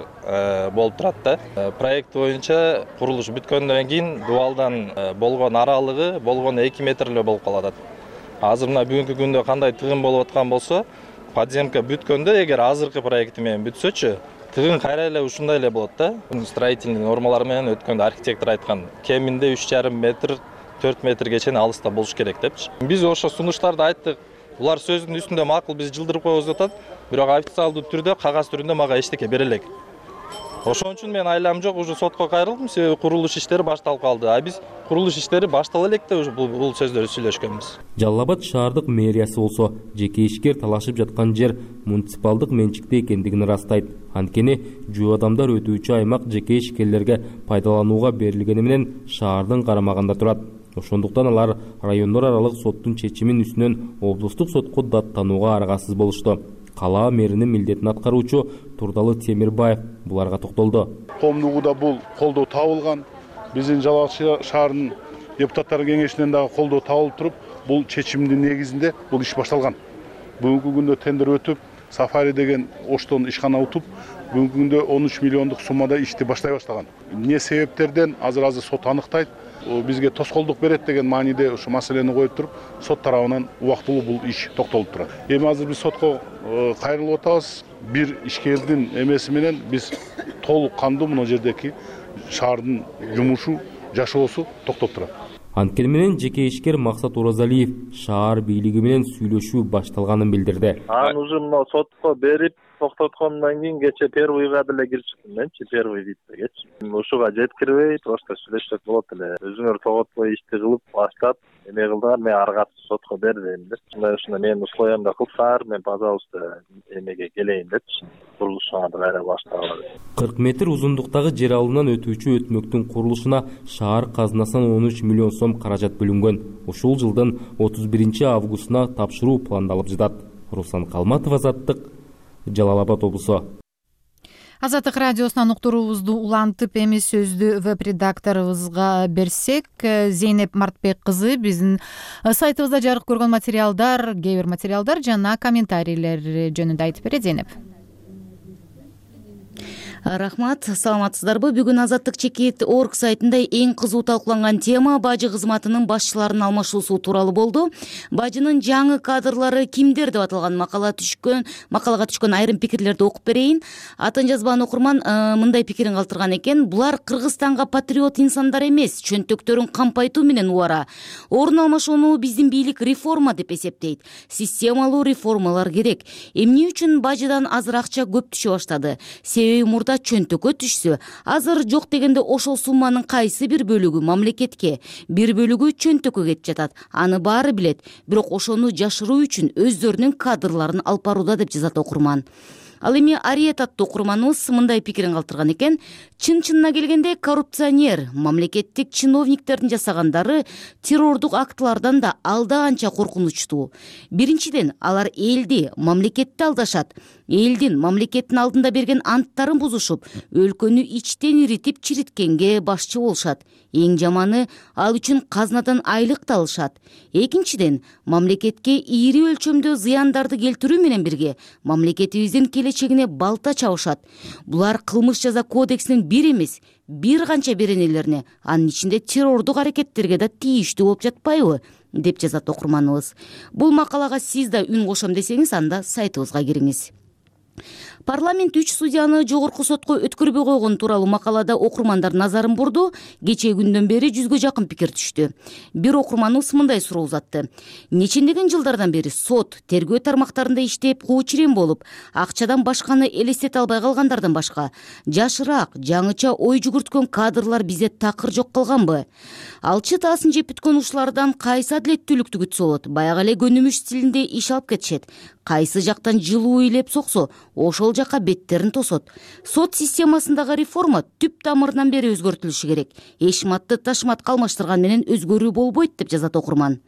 болуп турат да. Проект боюнча курулуш бүткөндөн кийин дуалдан болгон аралыгы болгон 2 метр эле болуп калат. Азыр мына бүгүнкү күндө кандай тыгын болуп аткан болсо, подземка бүткөндө эгер азыркы проекти менен бүтсөчү, тыгын кайра эле ушундай эле болот да. Строительный нормалар менен өткөндө архитектор айткан, кеминде 3,5 метр 4 метрге чейин алыста болуш керек депчи. Биз ошо сунуштарды айттык. Булар сөздүн үстүндө макул, биз жылдырып коебуз деп атат, бирок официалдуу түрдө, кагаз түрүндө мага эчтеке бере элек. Ошон үчүн мен айлам жок, уже сотко кайрылдым, себеби курулуш иштери башталып калды. А биз курулуш иштери баштала элек деп бул сөздөрдү сүйлөшкөнбүз. Жалал Абад шаардык мэриясы болсо, жеке ишкер талашып жаткан жер муниципалдык менчикте экендигин ырастайт. Анткени жөө адамдар өтүүчү аймак жеке ишкерлерге пайдаланууга берилгени менен шаардын карамагында турат. Ошондуктан алар райондор аралык соттун чечимин үстүнөн облустук сотко даттанууга аргасыз болушту. калаа мэринин милдетин аткаруучу Турдалы Темирбаев буларга токтолду. Коомдугуда бул колдоо табылган. Биздин Жалал Абад шаарынын депутаттар кеңешинен дагы колдоо табылып туруп, бул чечимдин негизинде бул иш башталган. Бүгүнкү күндө тендер өтүп, Сафари деген Оштон ишкана утуп, бүгүнкү күндө 13 миллиондук суммада ишти баштай баштаган. Эмне себептерден азыр сот аныктайт. Бизге тоскоолдук берет деген мааниде ушу маселени коюп туруп, сот тарабынан убактылуу бул иш токтолуп турат. Эми азыр биз сотко кайрылып атабыз. Бир ишкердин эмеси менен биз толук кандуу мына жердеки шаардын жумушу, жашоосу токтоп турат. Анткени менен жеке ишкер Максат Оразалиев шаар бийлиги менен сүйлөшүү башталганын билдирди. Аны уже мына сотко берип токтоткондон кийин кече первыйга деле кирип чыктым менчи, первый виттегечи. Ушуга жеткирбей, просто сүйлөшсөк болот эле. Өзүңөр тоготпой ишти кылып баштап, эме кылдыңар, мен ары катып сотко бербейм деп. Ушундай менин условиямды кылсаңар, мен пожалуйста эмеге келейин депчи. Курулушуңарды кайра баштагыла деп. 40 метр узундуктагы жер алымынан өтүүчү өтмөктүн курулушуна шаар казынасынан 13 миллион сом каражат бөлүнгөн. Ушул жылдын 31 августуна тапшыруу пландалып жатат. Руслан Калматов, Азаттык, Жалал Абад облусу. Азаттык радиосунан уктуруубузду улантып, эми сөздү веб-редакторубузга берсек, Зейнеп Мартбек кызы биздин сайтыбызда жарык көргөн материалдар, кээ бир материалдар жана комментарийлер жөнүндө айтып берет. Зейнеп. Рахмат, саламатсыздарбы? Бүгүн Азаттык чекит орг сайтында эң кызуу талкууланган тема бажы кызматынын башчыларынын алмашуусу тууралуу болду. Бажынын жаңы кадрлары кимдер деп аталган макалага түшкөн айрым пикирлерди окуп берейин. Атын жазбаган окурман мындай пикирин калтырган экен: булар Кыргызстанга патриот инсандар эмес, чөнтөктөрүн кампайтуу менен убара. Орун алмашууну биздин бийлик реформа деп эсептейт. Системалуу реформалар керек. Эмне үчүн бажыдан азыр акча көп түшө баштады? Себеби мурда чөнтөккө түшсө, азыр жок дегенде ошол сумманын кайсы бир бөлүгү мамлекетке, бир бөлүгү чөнтөккө кетип жатат. Аны баары билет, бирок ошону жашыруу үчүн өздөрүнүн кадрларын алып барууда деп жазат окурман. Ал эми Ариет аттуу окурманыбыз мындай пикирин калтырган экен: чын-чынына келгенде коррупционер, мамлекеттик чиновниктердин жасагандары террордук актылардан да алда канча коркунучтуу. Биринчиден, алар элди, мамлекетти алдашат. Элдин, мамлекеттин алдында берген анттарын бузушуп, өлкөнү ичтен иритип чириткенге башчы болушат. Эң жаманы, ал үчүн казнадан айлык да алышат. Экинчиден, мамлекетке ийри өлчөмдө зыяндарды келтирүү менен бирге мамлекетибиздин келечегине балта чабышат. Булар кылмыш жаза кодексинин бир эмес, бир канча беренелерине, анын ичинде террордук аракеттерге да тийиштүү болуп жатпайбы, деп жазат окурманыбыз. Бул макалага сиз да үн кошом десеңиз, анда сайтыбызга кириңиз. Парламент 3 судьяны жогорку сотко өткөрбөй койгон тууралуу макалада окурмандар назарын бурду. Кечээ күндөн бери 100гө жакын пикир түштү. Бир окурманыбыз мындай суроо узатты: нечендеген жылдардан бери сот, тергөө тармактарында иштеп, куучирем болуп, акчадан башканы элестете албай калгандардан башка жашыраак, жаңыча ой жүгүрткөн кадрлар бизде такыр жок калганбы? Алчы таасын жеп бүткөн ушулардан кайсы адилеттүүлүктү күтсө болот? Баягы эле көнүмүш стилинде иш алып кетишет. Кайсы жактан жылуу ыйлеп соксо, ошол жакка беттерин тосот. Сот системасындагы реформа түп тамырынан бери өзгөртүлүшү керек. Эшматты ташматка алмаштырган менен өзгөрүү болбойт, деп жазат окурман.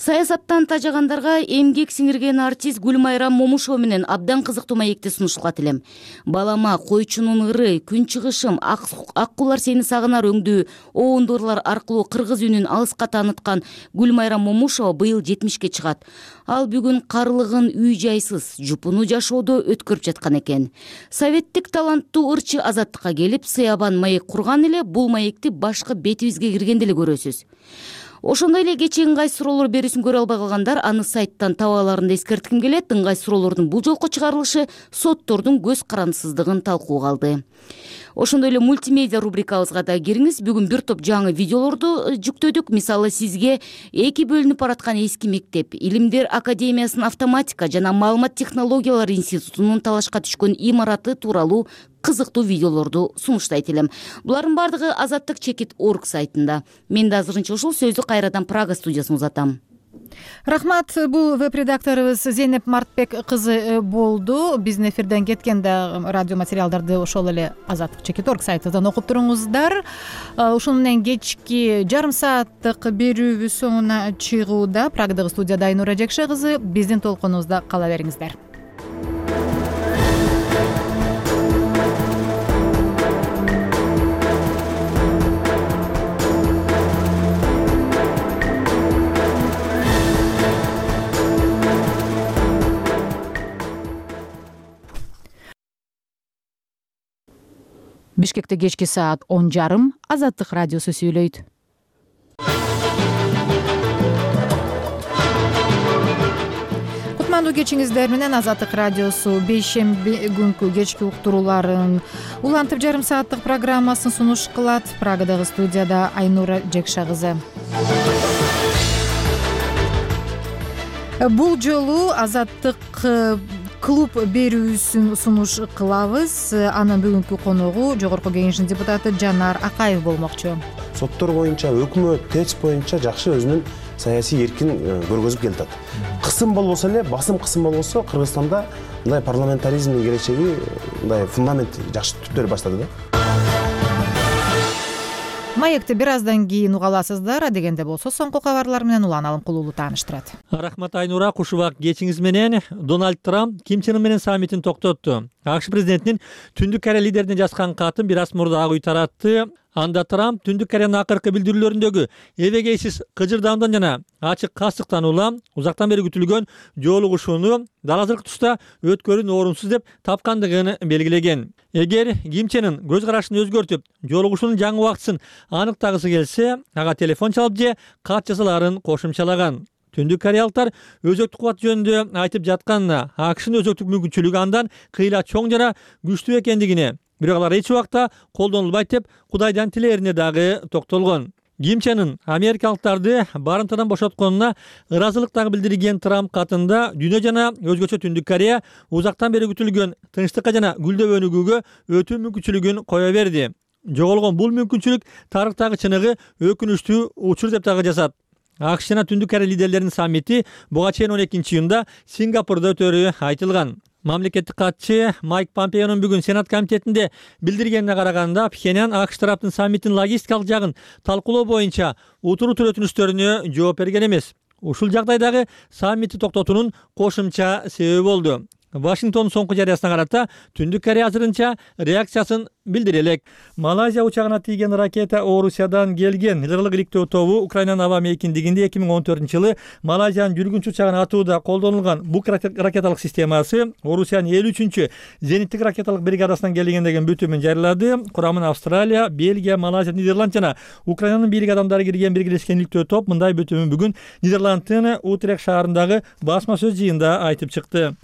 Саясаттан тажагандарга эмгек сиңирген артист Гүлмайрам Момушова менен абдан кызыктуу маекти сунуштургат элем. Балама, койчунун ыры, күн чыгышым, ак кулар сени сагынар өңдүү оундурлар аркылуу кыргыз үнүн алыска тааныткан Гүлмайрам Момушова быйыл 70ке чыгат. Ал бүгүн карлыгын үй жайсыз, жупуну жашоодо өткөрүп жаткан экен. Советтик таланттуу ырчы Азаттыкка келип, сыябан маек курган эле, бул маекти башкы бетибизге киргенде эле көрөсүз. Ошондой эле кечээ ыңгай суроолор берүүсүн көрө албай калгандар аны сайттан таба аларын эскертким келет. Ыңгай суроолордун бул жолку чыгарылышы соттордун көз карандысыздыгын талкууга алды. Ошондой эле мультимедиа рубрикабызга да кириңиз. Бүгүн бир топ жаңы видеолорду жүктөдүк. Мисалы, сизге эки бөлүнүп бараткан эски мектеп, Илимдер академиясынын автоматика жана маалымат технологиялары институтунун талашка түшкөн имараты тууралуу кызыктуу видеолорду сунуштайт элем. Булардын бардыгы Азаттык чекит орг сайтында. Мен да азырынча ушул сөздү кайрадан Прага студиясына узатам. Рахмат. Бул веб-редакторубуз Зейнеп Мартбек кызы болду. Биздин эфирден кеткен да радио материалдарды ошол эле Азаттык чекит орг сайтынан окуп туруңуздар. Ушун менен кечки жарым сааттык берүүбүз соңуна чыгууда. Прагадагы студияда Айнура Жекше кызы. Биздин толкунубузда кала бериңиздер. Бишкекте кечки саат 10:30 Азаттык радиосу сүйлөйт. Кутмандуу кечиңиздер менен Азаттык радиосу бейшемби күнкү кечки уктурууларын улантып жарым сааттык программасын сунуш кылат. Прагадагы студияда Айнура Жекша кызы. Бул жолу Азаттык клуб берүүсүн сунуш кылабыз. Анын бүгүнкү коногу Жогорку Кеңештин депутаты Жанар Акаев болмокчу. Соттор боюнча, өкмөт, ТЭЦ боюнча жакшы өзүнүн саясий эркин көргөзүп келатат. Кысым болбосо эле, басым кысым болбосо Кыргызстанда мындай парламентаризмдин келечеги мындай фундамент жакшы түптөрү баштады да. Маекти бир аздан кийин уга аласыздар, дегенде болсо соңку кабарлар менен Улан Алымкулуулу тааныштырат. Рахмат Айнура, куш убак кечиңиз менен. Дональд Трамп Ким Чен Ын менен саммитин токтотту. АКШ президентинин Түндүк Корея лидерине жазган катын бир аз мурда Ак үй таратты. Анда Трамп Түндүк Кореянын акыркы билдирүүлөрүндөгү эбегейсиз кыжырдаамдан жана ачык кастыктан улам узактан бери күтүлгөн жолугушууну дал азыркы тушта өткөрүүнү орунсуз деп тапкандыгын белгилеген. Эгер Ким Чен Ын көз карашын өзгөртүп, жолугушуунун жаңы убактысын аныктагысы келсе, ага телефон чалып же кат жазаларын кошумчалаган. Түндүк кореялыктар өзөктүк кубат жөнүндө айтып жатканына, АКШнын өзөктүк мүмкүнчүлүгү андан кыйла чоң жана күчтүү экендигине, бирок алар эч убакта колдонулбайт деп Кудайдан тилээрине дагы токтолгон. Ким Чен Ын америкалыктарды барымтадан бошотконуна ыраазылык дагы билдирген Трамп катында дүйнө жана өзгөчө Түндүк Корея узактан бери күтүлгөн тынчтыкка жана гүлдөө өнүгүүгө өтүү мүмкүнчүлүгүн кое берди. Жоголгон бул мүмкүнчүлүк тарыхтагы чыныгы өкүнүчтүү учур деп дагы жазат. АКШ жана Түндүк Корея лидерлеринин саммити буга чейин 12-июнда Сингапурда өтөрү айтылган. Мамлекеттик катчы Майк Помпеонун бүгүн Сенат комитетинде билдиргенине караганда, Пхеньян АКШ тараптын саммиттин логистикалык жагын талкуулоо боюнча утуруутур өтүнүчтөрүнө жооп берген эмес. Ушул жагдайдагы саммитти токтотуунун кошумча себеби болду. Вашингтондун соңку жарыясына карата Түндүк Корея азырынча реакциясын билдире элек. Малайзия учагына тийген ракета Орусиядан келген. Ылгылык иликтөө тобу Украинанын аба мейкиндигинде 2014-жылы Малайзиянын жүргүнчү учагын атууда колдонулган бук ракеталык системасы Орусиянын 53-чү зениттик ракеталык бригадасынан келген деген бүтүмүн жарыялады. Курамына Австралия, Бельгия, Малайзия, Нидерланд жана Украинанын бийлик адамдары кирген биргелешкен иликтөө топ мындай бүтүмүн бүгүн Нидерландтын Утрехт шаарындагы басма сөз жыйында айтып чыкты.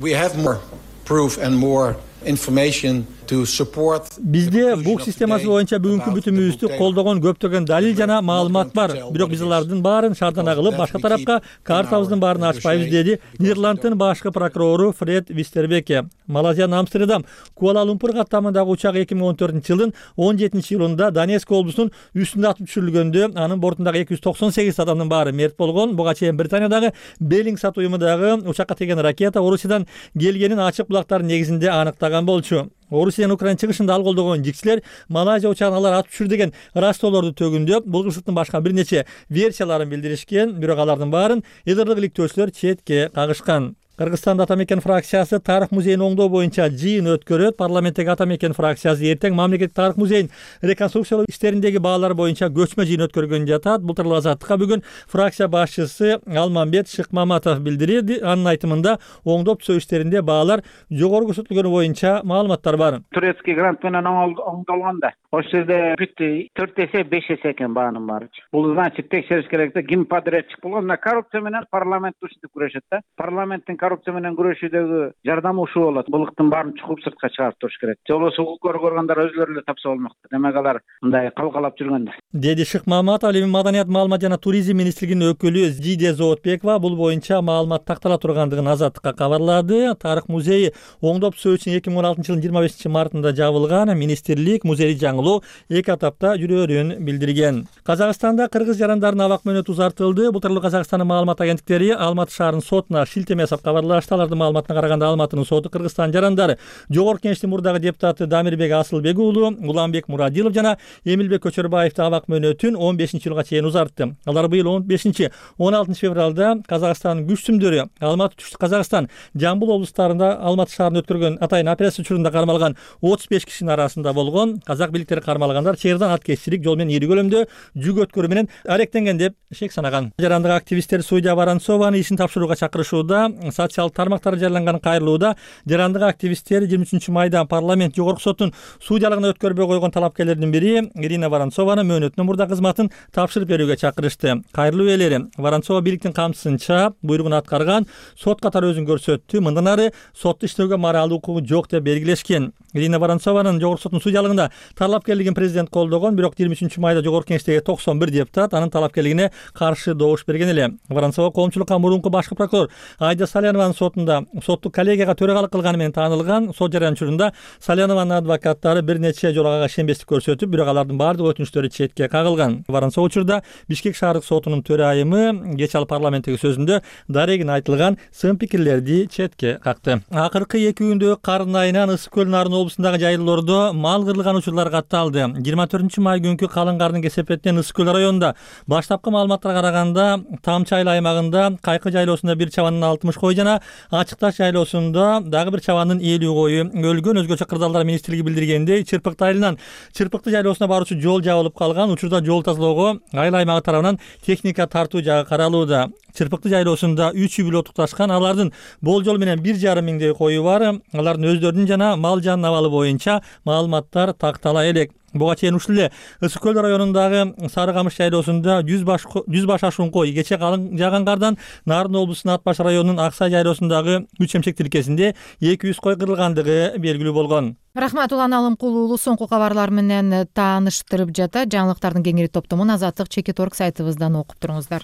Бизде бук системасы боюнча бүгүнкү бүтүмүбүздү колдогон көптөгөн далил жана маалымат бар. Бирок биз алардын баарын шаардан агылып, башка тарапка картабыздын баарын ачпайбыз, деди Нидерландтын башкы прокурору Фред Вистербеке. Малайзиянын Амстердам Куала-Лумпур каттамындагы учак 2014-жылдын 17-июлунда Донецк облусунун үстүндө атып түшүрүлгөндө анын бортундагы 298 адамдын баары мерт болгон. Буга чейин Британиядагы Беллинг сат уюму дагы учакка тийген ракета Орусиядан келгенин ачык булактардын негизинде аныктаган болчу. Орусиянын Украина чыгышында ал колдогон жикчилер Малайзия учагын алар атып түшүр деген растоолорду төгүндөп, бул кырсыктын башка бир нече версияларын билдиришкен, бирок алардын баарын элдирлик иликтөөчүлөр четке кагышкан. Кыргызстанда Ата мекен фракциясы тарых музейин оңдоо боюнча жыйын өткөрөт. Парламенттеги Ата мекен фракциясы эртең мамлекеттик тарых музейин реконструкциялоо иштериндеги баалар боюнча көчмө жыйын өткөргөн жатат. Бул тууралуу Азаттыкка бүгүн фракция башчысы Алмамбет Шыкмаматов билдирди. Анын айтымында оңдоп түзөө иштеринде баалар жогору көрсөтүлгөнү боюнча маалыматтар бар. Турецкий грант менен оңдолгон да. Ошол жерде бүттү 4 эсе 5 эсе экен баанын баары. Бул значит текшериш керек да. Ким подрядчик болгон? Мына коррупция менен парламент ушинтип күрөшөт да. Парламенттин коррупция менен күрөшүүдөгү жардамы ушул болот. Булыктын баарын чукуп сыртка чыгарып туруш керек. Же болбосо укук көргөндөр өзлөрү эле тапса болмок. Демек алар мындай калкалап жүргөн да. Деди Шыкмаматов. Ал эми Маданият, маалымат жана туризм министрлигинин өкүлү Зиде Зоотбекова бул боюнча маалымат тактала тургандыгын Азаттыкка кабарлады. Тарых музейи оңдоп түзөө үчүн 2016-жылдын 25-мартында жабылган. Министрлик музейди жаңылоо 2 этапта жүрөөрүн билдирген. Казакстанда кыргыз жарандардын абак мөөнөтү узартылды. Бул тууралуу Казакстандын маалымат агенттиктери Алматы шаарынын сотуна шилтеме жасап кабарлашты. Алардын маалыматына караганда Алматынын соту Кыргызстан жарандары Жогорку Кеңештин мурдагы депутаты Дамирбек Асылбек уулу, Уланбек Мурадилов жана Эмилбек Көчөрбаевдин абак мөөнөтүн 15-жылга чейин узартты. Алар быйыл 15-16 февралда Казакстандын күчтүмдөрү Алматы, Түштүк Казакстан, Жамбыл облустарында Алматы шаарында өткөргөн атайын операция учурунда кармалган 35 кишинин арасында болгон. Казак бийликтери кармалгандар чыйырдан аткезчилик жол менен ири көлөмдө жүк өткөрүү менен аректенген деп шек санаган. Жарандык активисттер Судья Воронцованы ишин тапшырууга чакырышууда. социалдык тармактарда жарыяланган кайрылууда жарандык активисттер 23 майда парламент жогорку соттун судьялыгына өткөрбөй койгон талапкерлердин бири Ирина Воронцованы мөөнөтүнөн мурда кызматын тапшырып берүүгө чакырышты. Кайрылуу ээлери Воронцова бийликтин камсызынча буйругун аткарган, сот катары өзүн көрсөттү. Мындан ары сотто иштөөгө моралдык укугу жок деп белгилешкен. Ирина Воронцованын жогорку соттун судьялыгында талапкерлигин президент колдогон, бирок 23 майда жогорку кеңештеги 91 депутат анын талапкерлигине каршы добуш берген эле. Воронцова коомчулукка мурунку башкы прокурор Айда Салянованын сотунда соттук коллегияга төрагалык кылганы менен таанылган. Сот жарыян учурунда Салянованын адвокаттары бир нече жолу ага ишенбестик көрсөтүп, бирок алардын баардык өтүнүчтөрү четке кагылган. Воронцова учурда Бишкек шаардык сотунун төрайымы кеч ал парламенттеги сөзүндө дарегин айтылган сын пикирлерди четке какты. Акыркы 2 күндөгү кардын айынан Ысык көл Нарын облусундагы жайлоордо мал кырылган учурлар катталды. 24 май күнкү калың кардын кесепетинен Ысык көл районунда баштапкы маалыматтарга караганда Тамчы айыл аймагында Кайкы жайлоосунда бир чабанын 60 кой жана Ачык Таш жайлоосунда дагы бир чабанын 50 кою өлгөн. Өзгөчө Кырдаалдар министрлиги билдиргендей, Чырпыкты айылынан Чырпыкты жайлоосуна баруучу жол жабылып калган. Учурда жол тазалоого айыл аймагы тарабынан техника тартуу жагы каралууда. Чырпыкты жайлоосунда 3 үй бүлө тукташкан, алардын болжол менен 1,5 миңдей кою бар. Алардын өздөрүнүн жана мал жанын абалы боюнча маалыматтар тактала элек. Буга чейин ушул эле Ысык көл районундагы Сары Камыш жайлоосунда 100 баш ашуун кой кече калың жааган кардан Нарын облусунун Ат Баш районунун Аксай жайлоосундагы 3 эмчек тилкесинде 200 кой кырылгандыгы белгилүү болгон. Рахмат, Улан Алымкулуу уулу соңку кабарлар менен тааныштырып жата. Жаңылыктардын кеңири топтомун Азаттык Чекит.орг сайтыбыздан окуп туруңуздар.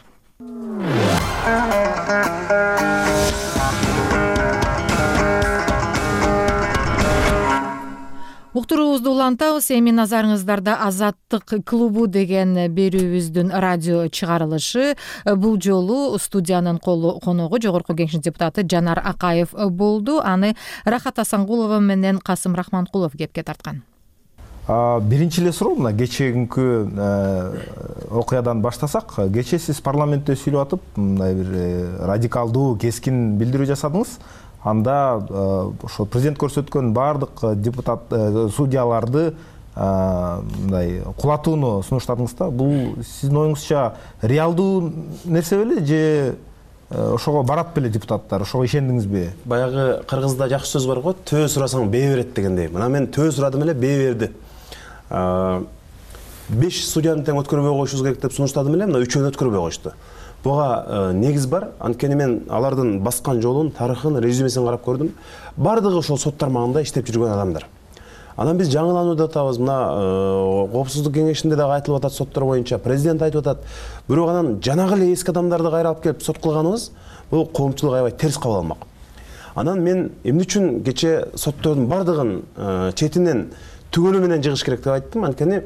Уктуруубузду улантабыз. Эми назарыңыздарда Азаттык клубу деген берүүбүздүн радио чыгарылышы. Бул жолу студиянын коногу жогорку кеңеш депутаты Жанар Акаев болду. Аны Рахат Асангулова менен Касым Рахманкулов кепке тарткан. Биринчи эле суроо мына кечээкүнкү окуядан баштасак. Кечээ сиз парламентте сүйлөп атып, мындай бир радикалдуу, кескин билдирүү жасадыңыз. Анда ошо президент көрсөткөн баардык депутат судьяларды мындай кулатууну сунуштадыңыз да. Бул сиздин оюңузча реалдуу нерсе беле же ошого барат беле депутаттар? Ошого ишендиңизби? Баягы кыргызда жакшы сөз бар го, төө сурасаң бээ берет дегендей. Мына мен төө сурадым эле, бээ берди. 5 судьяны тең өткөрбөй коюшубуз керек деп сунуштадым эле, мына 3-өн өткөрбөй коюшту. Буга негиз бар. Анткени мен алардын баскан жолун, тарыхын, резюмесин карап көрдүм. Бардыгы ошол сот тармагында иштеп жүргөн адамдар. Анан биз жаңыланууда атабыз. Мына коопсуздук кеңешинде дагы айтылып атат соттор боюнча, президент айтып атат. Бирок анан жанагы эле эски адамдарды кайра алып келип сот кылганыбыз бул коомчулук аябай терс кабыл алмак. Анан мен эмне үчүн кечээ соттордун бардыгын четинен түгөлү менен жыгыш керек деп айттым. Анткени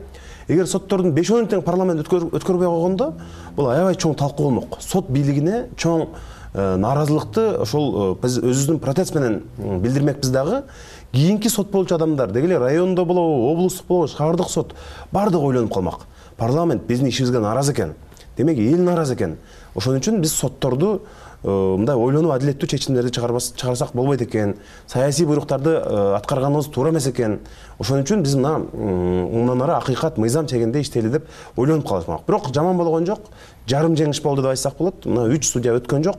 эгер соттордун 5-10 тең парламент өткөрбөй койгондо бул аябай чоң талкуу болмок. Сот бийлигине чоң нааразылыкты ошол биз өзүбүздүн протест менен билдирмекпиз дагы. Кийинки сот болчу адамдар, деги эле райондо болобу, облустук болобу, шаардык сот бардыгы ойлонуп калмак. Парламент биздин ишибизге нааразы экен. Демек эл нааразы экен. Ошон үчүн биз сотторду мындай ойлонуп адилеттүү чечимдерди чыгарсак болбойт экен. Саясий буйруктарды аткарганыбыз туура эмес экен. Ошон үчүн биз мындан ары акыйкат, мыйзам чегинде иштейли деп ойлонуп калышмак. Бирок жаман болгон жок. Жарым жеңиш болду деп айтсак болот. Мына 3 судья өткөн жок.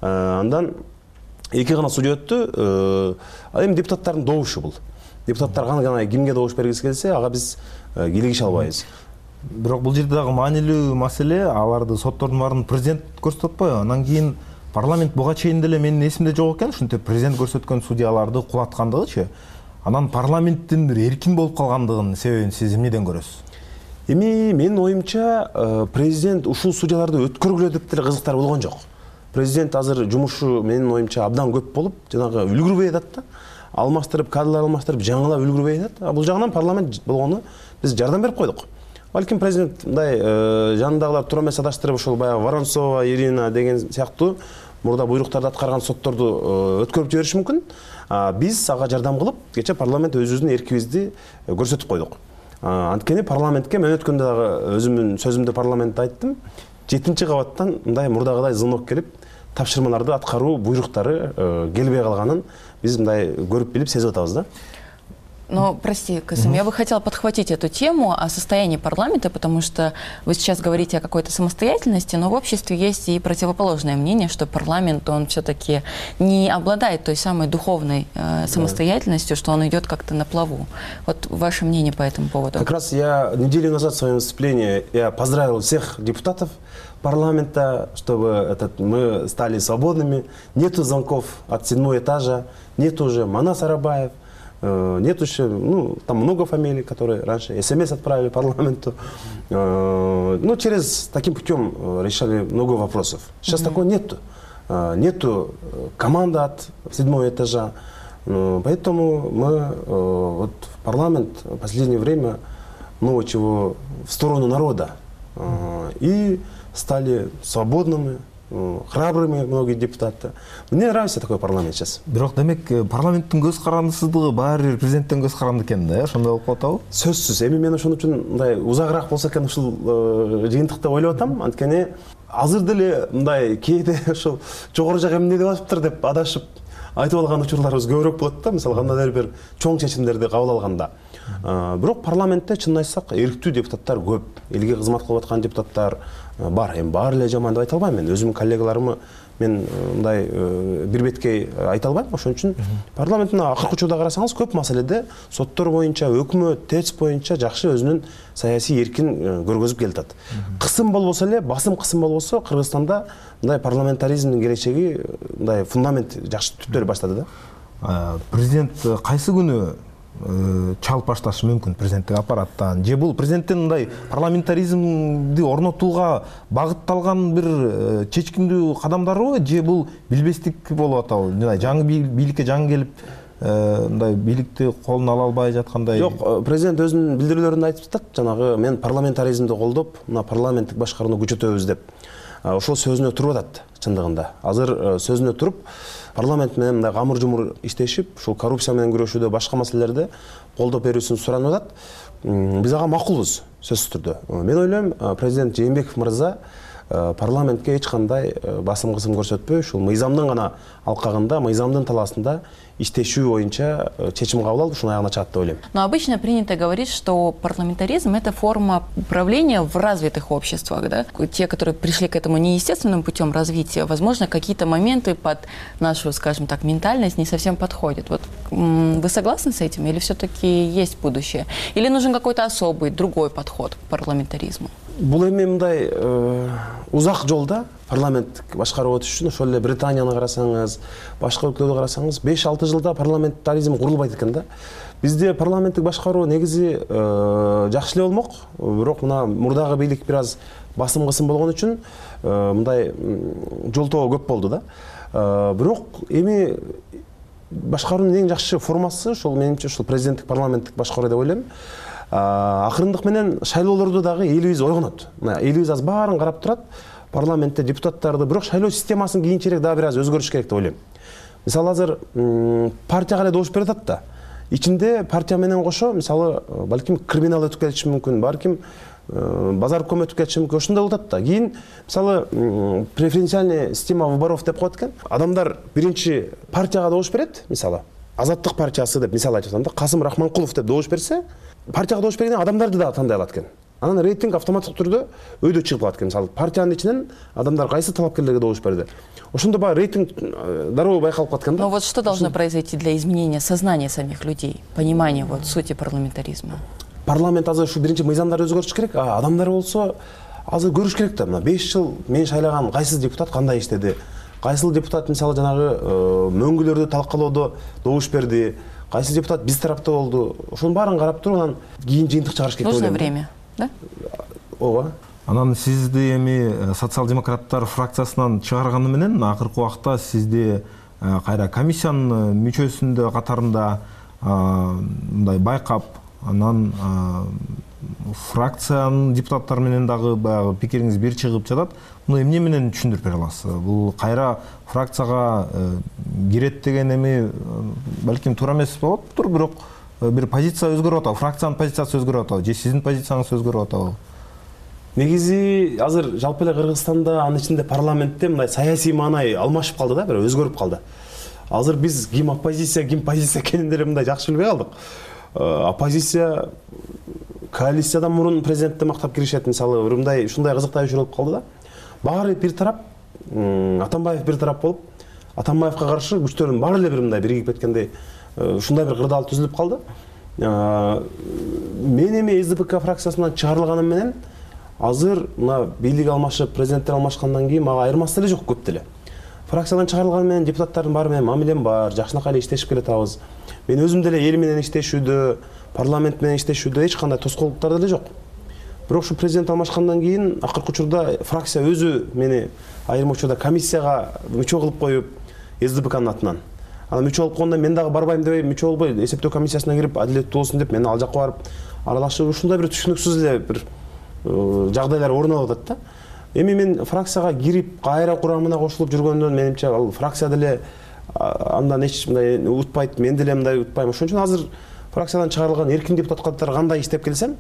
Андан 2 гана судья өттү. Эми депутаттардын добушу бул. Депутаттар кандай кимге добуш бергиси келсе, ага биз кийлигише албайбыз. Бирок бул жерде дагы маанилүү маселе, аларды соттордун баарын президент көрсөтүп атпайбы? Анан кийин парламент буга чейин деле менин эсимде жок экен, ушинтип президент көрсөткөн судьяларды кулаткандыгычы. Анан парламенттин бир эркин болуп калгандыгынын себебин сиз эмнеден көрөсүз? Эми менин оюмча президент ушул судьяларды өткөргүлө деп деле кызыктар болгон жок. Президент азыр жумушу менин оюмча абдан көп болуп, жанагы үлгүрбөй атат да. Алмаштырып, кадрлар алмаштырып, жаңылап үлгүрбөй атат. Бул жагынан парламент болгону биз жардам берип койдук. Балким президент мындай жанындагылар туура эмес адаштырып, ошол баягы Воронцова, Ирина деген сыяктуу мурда буйруктарды аткарган сотторду өткөрүп жибериши мүмкүн. Биз ага жардам кылып, кече парламент өзүбүздүн эркибизди көрсөтүп койдук. Анткени парламентке мен өткөндө дагы өзүмдүн сөзүмдө парламентте айттым. 7-кабаттан мындай мурдагыдай звонок келип, тапшырмаларды аткаруу буйруктары келбей калганын биз мындай көрүп билип сезип атабыз да. Но, прости, Касым, я бы хотела подхватить эту тему о состоянии парламента, потому что вы сейчас говорите о какой-то самостоятельности, но в обществе есть и противоположное мнение, что парламент, он все-таки не обладает той самой духовной самостоятельностью, что он идет как-то на плаву. Вот ваше мнение по этому поводу? Как раз я неделю назад в своем выступлении я поздравил всех депутатов парламента, чтобы мы стали свободными. Нету звонков от 7-го этажа, нет уже Манас Арабаев, нет еще, там много фамилий, которые раньше СМС отправили парламенту. Через таким путем решали много вопросов. Сейчас такого нету. Нету команды от 7-го этажа. Поэтому мы в парламент в последнее время много чего в сторону народа. И стали свободными, храбрыми многие депутаты. Мне нравится такой парламент сейчас. Бирок демек парламенттин көз карандысыздыгы баары бир президенттин көз каранды экен да, ошондой болуп калып атабы? Сөзсүз. Эми мен ошон үчүн мындай узагыраак болсо экен ушул жыйынтык деп ойлоп атам. Анткени азыр деле мындай кээде ошол жогору жак эмне деп атыптыр деп адашып айтып алган учурларыбыз көбүрөөк болот да. Мисалы кандайдыр бир чоң чечимдерди кабыл алганда. Бирок парламентте чынын айтсак эрктүү депутаттар көп, элге кызмат кылып аткан депутаттар бар. Эми баары эле жаман деп айта албайм мен. Өзүмдүн коллегаларымы мен мындай бир беткей айта албайм. Ошон үчүн парламенттин акыркы учурда карасаңыз көп маселеде соттор боюнча, өкмөт, ТЭЦ боюнча жакшы өзүнүн саясий эркин көргөзүп келатат. Кысым болбосо эле, басым кысым болбосо Кыргызстанда мындай парламентаризмдин келечеги мындай фундамент жакшы түптөрү баштады да. Президент кайсы күнү чалып башташы мүмкүн президенттик аппараттан? Же бул президенттин мындай парламентаризмди орнотууга багытталган бир чечкиндүү кадамдарбы, же бул билбестик болуп атабы? Мындай жаңы бийликке жаңы келип мындай бийликти колуна ала албай жаткандай? Жок, президент өзүнүн билдирүүлөрүндө айтып жатат, жанагы мен парламентаризмди колдоп, мына парламенттик башкарууну күчөтөбүз деп. Ошол сөзүнө туруп атат чындыгында. Азыр сөзүнө туруп парламент менен мындай камыр жумур иштешип, ушул коррупция менен күрөшүүдө башка маселелерде колдоп берүүсүн суранып атат. Биз ага макулбуз сөзсүз түрдө. Мен ойлойм, президент Жээнбеков мырза парламентке эч кандай басым кысым көрсөтпөй, ушул мыйзамдын гана алкагында, мыйзамдын талаасында иштешүү боюнча чечим кабыл алып, ушуну аягына чыгат деп ойлойм. Но обычно принято говорить, что парламентаризм — это форма управления в развитых обществах, да? Те, которые пришли к этому неестественным путем развития, возможно, какие-то моменты под нашу, скажем так, ментальность не совсем подходят. Вот вы согласны с этим, или все-таки есть будущее? Или нужен какой-то особый, другой подход к парламентаризму? Бул эми мындай узак жолда парламенттик башкаруу өтүш үчүн ошол эле Британияны карасаңыз, башка өлкөлөрдү карасаңыз 5-6 жылда парламентаризм курулбайт экен да. Бизде парламенттик башкаруу негизи жакшы эле болмок, бирок мына мурдагы бийлик бир аз басым кысым болгон үчүн мындай жолтоо көп болду да. Бирок эми башкаруунун эң жакшы формасы ошол менимче ушул президенттик парламенттик башкаруу деп ойлойм. Акырындык менен шайлоолордо дагы элибиз ойгонот. Элибиз аз баарын карап турат. Парламентте депутаттарды, бирок шайлоо системасын кийинчерээк дагы бир аз өзгөрүш керек деп ойлойм. Мисалы азыр партияга эле добуш берип атат да. Ичинде партия менен кошо, мисалы, балким криминал өтүп кетиши мүмкүн, балким базар өтүп кетиши мүмкүн, ошондой болуп атат да. Кийин, мисалы, преференциальный система выборов деп коет экен. Адамдар биринчи партияга добуш берет, мисалы, Азаттык партиясы деп мисал айтып атам да, Касым Рахманкулов деп добуш берсе, партияга добуш бергенден адамдарды да тандай алат экен. Анан рейтинг автоматтык түрдө өйдө чыгып калат экен. Мисалы, партиянын ичинен адамдар кайсы талапкерлерге добуш берди. Ошондо баягы рейтинг дароо байкалып калат экен да. Но вот что должно произойти для изменения сознания самих людей, понимания вот сути парламентаризма? Парламент азыр ушу биринчи мыйзамдарды өзгөртүш керек. Адамдар болсо азыр көрүш керек да. Мына 5 жыл мен шайлаган кайсы депутат кандай иштеди? Кайсыл депутат мисалы жанагы мөңгүлөрдү талкалоодо добуш берди? Кайсы депутат биз тарапта болду? Ошонун баарын карап туруп, анан кийин жыйынтык чыгарыш керек деп ойлойм. Нужно время, да? Ооба. Анан сизди эми социал-демократтар фракциясынан чыгарганы менен акыркы убакта сизди кайра комиссиянын мүчөсүндө катарында мындай байкап, анан фракциянын депутаттары менен дагы баягы пикириңиз бир чыгып жатат. Муну эмне менен түшүндүрүп бере аласыз? Бул кайра фракцияга кирет деген эми балким туура эмес болоптур, бирок бир позиция өзгөрүп атабы, фракциянын позициясы өзгөрүп атабы, же сиздин позицияңыз өзгөрүп атабы? Негизи азыр жалпы эле Кыргызстанда, анын ичинде парламентте мындай саясий маанай алмашып калды да, бир өзгөрүп калды. Азыр биз ким оппозиция, ким позиция экенин деле мындай жакшы билбей калдык. оппозиция коалициядан мурун президентти мактап киришет. Мисалы ушундай кызыктагыч болуп калды да. Баары бир тарап, Атамбаев бир тарап болуп, Атамбаевка каршы күчтөрдүн баары эле бир мындай биригип кеткендей ушундай бир кырдаал түзүлүп калды. Мен эми СДПК фракциясынан чыгарылганым менен азыр мына бийлик алмашып, президенттер алмашкандан кийин мага айырмасы деле жок көп деле. Фракциядан чыгарылган менен депутаттардын баары менен мамилем бар, жакшынакай эле иштешип келатабыз. Мен өзүм деле эл менен иштешүүдө, парламент менен иштешүүдө эч кандай тоскоолдуктар деле жок. Бирок ушу президент алмашкандан кийин акыркы учурда фракция өзү мени айрым учурда комиссияга мүчө кылып коюп, СДПКнын атынан. Анан мүчө болуп койгондо мен дагы барбайм дебей, мүчө болбой эсептөө комиссиясына кирип, адилеттүү болсун деп мен ал жакка барып аралашып, ушундай бир түшүнүксүз эле бир жагдайлар орун алып атат да. Эми мен фракцияга кирип, кайра курамына кошулуп жүргөндөн менимче ал фракция деле андан эч мындай утпайт, мен деле мындай утпайм. Ошон үчүн азыр фракциядан чыгарылган эркин депутат катары кандай иштеп келсем,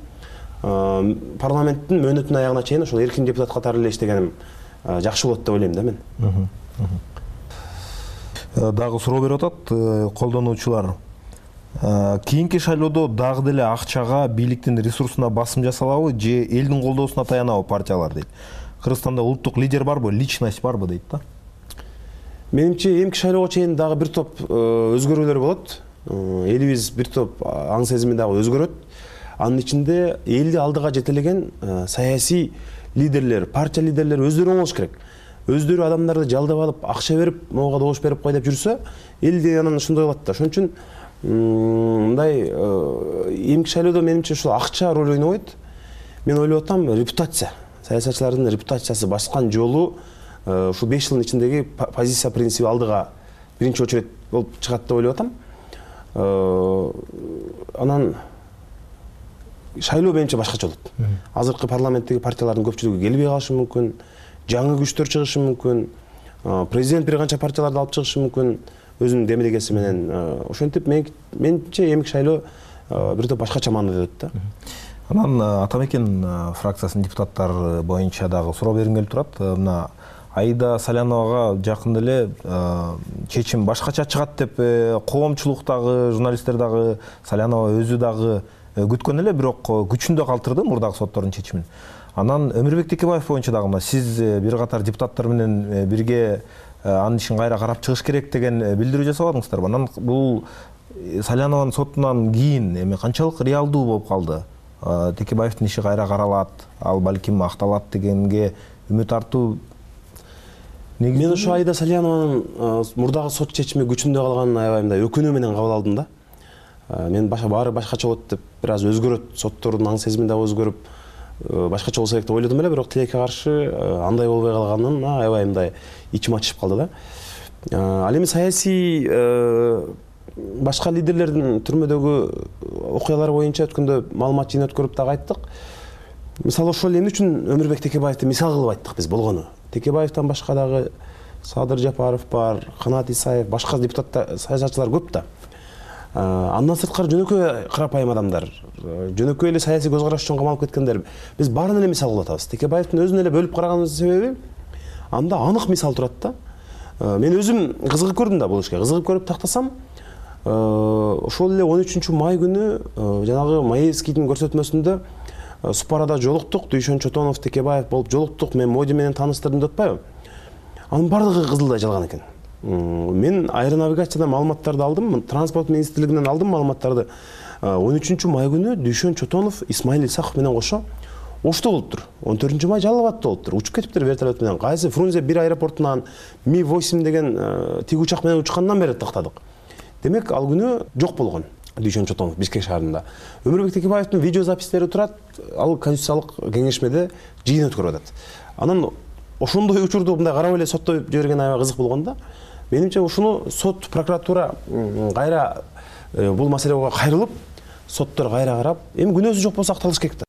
парламенттин мөөнөтүнүн аягына чейин ошол эркин депутат катары эле иштегеним жакшы болот деп ойлойм да мен. Дагы суроо берип атат колдонуучулар. Кийинки шайлоодо дагы деле акчага, бийликтин ресурсуна басым жасалабы же элдин колдоосуна таянабы партиялар дейт. Кыргызстанда улуттук лидер барбы, личность барбы дейт да. Менимче эмки шайлоого чейин дагы бир топ өзгөрүүлөр болот. Элибиз бир топ аң сезими дагы өзгөрөт. Анын ичинде элди алдыга жетелеген саясий лидерлер, партия лидерлери өздөрү болуш керек. Өздөрү адамдарды жалдап алып, акча берип, могуга добуш берип кой деп жүрсө, элди анан ошондой болот да. Ошон үчүн мындай эмки шайлоодо менимче ушул акча роль ойнобойт. Мен ойлоп атам, репутация, саясатчылардын репутациясы баскан жолу ушул 5 жылдын ичиндеги позиция принциби алдыга биринчи очередь болуп чыгат деп ойлоп атам. Анан шайлоо менимче башкача болот. Азыркы парламенттеги партиялардын көпчүлүгү келбей калышы мүмкүн, жаңы күчтөр чыгышы мүмкүн, президент бир канча партияларды алып чыгышы мүмкүн өзүнүн демилгеси менен. Ошентип менимче эмки шайлоо бир топ башкача маанайда өтөт да. Анан Атамекен фракциясынын депутаттары боюнча дагы суроо бергим келип турат. Мына Аида Саляновага жакында эле чечим башкача чыгат деп коомчулук дагы, журналисттер дагы, Салянова өзү дагы күткөн эле, бирок күчүндө калтырды мурдагы соттордун чечимин. Анан Өмүрбек Текебаев боюнча дагы мына сиз бир катар депутаттар менен бирге анын ишин кайра карап чыгыш керек деген билдирүү жасабадыңыздарбы? Анан бул Салянованын сотунан кийин эми канчалык реалдуу болуп калды? Текебаевдин иши кайра каралат, ал балким акталат дегенге үмүт артуу. Мен ошо Аида Салянованын мурдагы сот чечими күчүндө калганын аябай мындай өкүнүү менен кабыл алдым да. Мен баары башкача болот деп бир аз өзгөрөт, соттордун аң сезими дагы өзгөрүп, башкача болсо керек деп ойлодум эле, бирок тилекке каршы андай болбой калганын аябай мындай ичим ачышып калды да. Ал эми саясий башка лидерлердин түрмөдөгү окуялар боюнча өткөндө маалымат жыйын өткөрүп дагы айттык. Мисалы ошол эмне үчүн Өмүрбек Текебаевди мисал кылып айттык биз болгону. Текебаевден башка дагы Садыр Жапаров бар, Канат Исаев, башка депутаттар, саясатчылар көп да. Андан сырткары жөнөкөй карапайым адамдар, жөнөкөй эле саясий көз караш үчүн камалып кеткендер. Биз баарын эле мисал кылып атабыз. Текебаевдин өзүн эле бөлүп караганыбыздын себеби анда анык мисал турат да. Мен өзүм кызыгып көрдүм да бул ишке. Кызыгып көрүп тактасам, ошол эле 13-май күнү жанагы Маевскийдин көрсөтмөсүндө Супарада жолуктук, Дүйшөн Чотонов, Текебаев болуп жолуктук, мен Моди менен тааныстырдым деп атпайбы? Анын бардыгы кызылдай жалган экен. Мен аэронавигациядан маалыматтарды алдым, транспорт министрлигинен алдым маалыматтарды. 13-май күнү Дүйшөн Чотонов, Исмаил Исаков менен кошо Ошто болуптур. 14-май Жалал Абадта болуптур. Учуп кетиптир вертолет менен. Кайсы Фрунзе 1 аэропортунан Ми-8 деген тиг учак менен учкандан бери тактадык. Демек, ал күнү жок болгон Дүйшөн Чотонов Бишкек шаарында. Өмүрбек Текебаевдин видеозапистери турат, ал Конституциялык кеңешмеде жыйын өткөрүп атат. Анан ошондой учурду мындай карап эле соттой жиберген аябай кызык болгон да. Менимче ушуну сот, прокуратура кайра бул маселеге кайрылып, соттор кайра карап, эми күнөөсү жок болсо акталыш керек да.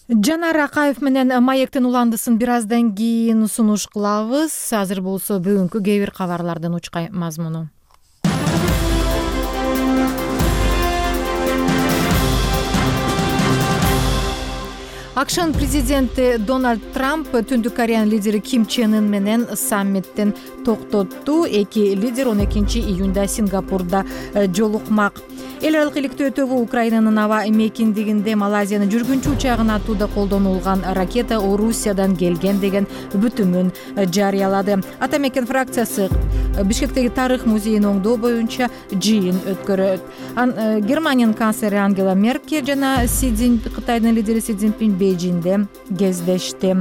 Жанар Акаев менен Маектин уландысын бир аздан кийин сунуш кылабыз. Азыр болсо бүгүнкү кээ бир кабарлардын учкай мазмуну. АКШнын президенти Дональд Трамп Түндүк Кореянын лидери Ким Чен Ын менен саммиттин токтотту. Эки лидер 12-июнда Сингапурда жолукмак. эл аралык иликтөө тобу Украинанын аба мейкиндигинде Малайзиянын жүргүнчү учагын атууда колдонулган ракета Орусиядан келген деген бүтүмүн жарыялады. Ата мекен фракциясы Бишкектеги тарых музейин оңдоо боюнча жыйын өткөрөт. Германиянын канцлери Ангела Меркель жана Кытайдын лидери Си Цзиньпин Бейжиңде кездешти.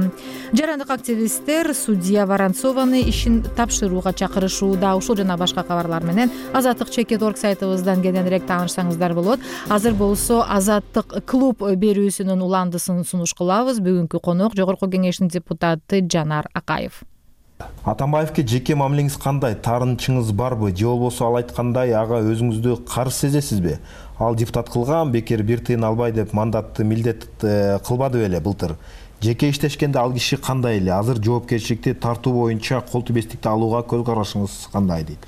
Жарандык активисттер судья Воронцованы ишин тапшырууга чакырышууда. Ушул жана башка кабарлар менен Азаттык чекит орг сайтыбыздан кененирээк таанышсаңыздар болот. Азыр болсо Азаттык клуб берүүсүнүн уландысын сунуш кылабыз. Бүгүнкү конок Жогорку кеңештин депутаты Жанар Акаев. Атамбаевке жеке мамилеңиз кандай? Таарынчыңыз барбы? Же болбосо ал айткандай ага өзүңүздү каршы сезесизби? Ал депутат кылган, бекер бир тыйын албай деп мандатты милдет кылбады беле былтыр. Жеке иштешкенде ал киши кандай эле? Азыр жоопкерчиликти тартуу боюнча кол тийбестикти алууга көз карашыңыз кандай дейт?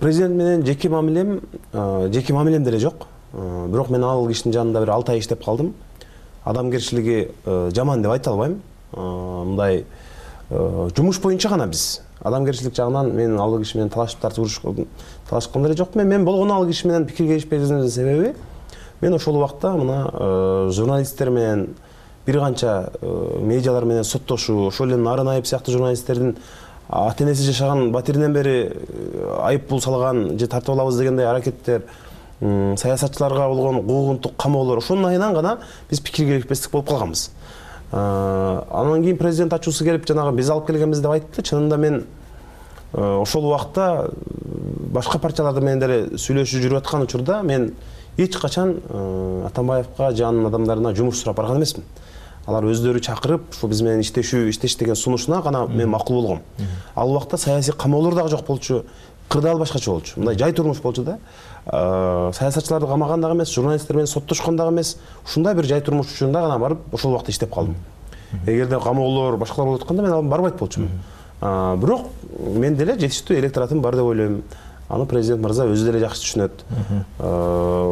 Президент менен жеке мамилем деле жок. Бирок мен ал кишинин жанында бир 6 ай иштеп калдым. Адамгерчилиги жаман деп айта албайм. Мындай жумуш боюнча гана биз адамгерчилик жагынан мен ал киши менен талашып талашкан деле жокмун. Мен болгону ал киши менен пикир келишпегендин себеби мен ошол убакта мына журналисттер менен бир канча медиалар менен соттошуу, ошол эле Нарын Айып сыяктуу журналисттердин ата энеси жашаган батиринен бери айып бул салган же тартып алабыз дегендей аракеттер, саясатчыларга болгон куугунтук камоолор, ошонун айынан гана биз пикир келишпестик болуп калганбыз. Анан кийин президент ачуусу келип жанагы биз алып келгенбиз деп айтты. Чынында мен ошол убакта башка партиялар менен деле сүйлөшүп жүрүп аткан учурда мен эч качан Атамбаевка же анын адамдарына жумуш сурап барган эмесмин. Алар өздөрү чакырып, ушу биз менен иштеш деген сунушуна гана мен макул болгом. Ал убакта саясий камоолор дагы жок болчу, кырдаал башкача болчу. Мындай жай турмуш болчу да. Саясатчыларды камаган дагы эмес, журналисттер менен соттошкон дагы эмес. Ушундай бир жай турмуш учурунда гана барып ошол убакта иштеп калдым. Эгерде камоолор башкалар болуп атканда мен алып барбайт болчумун. Бирок мен деле жетиштүү электоратым бар деп ойлойм. Аны президент мырза өзү деле жакшы түшүнөт.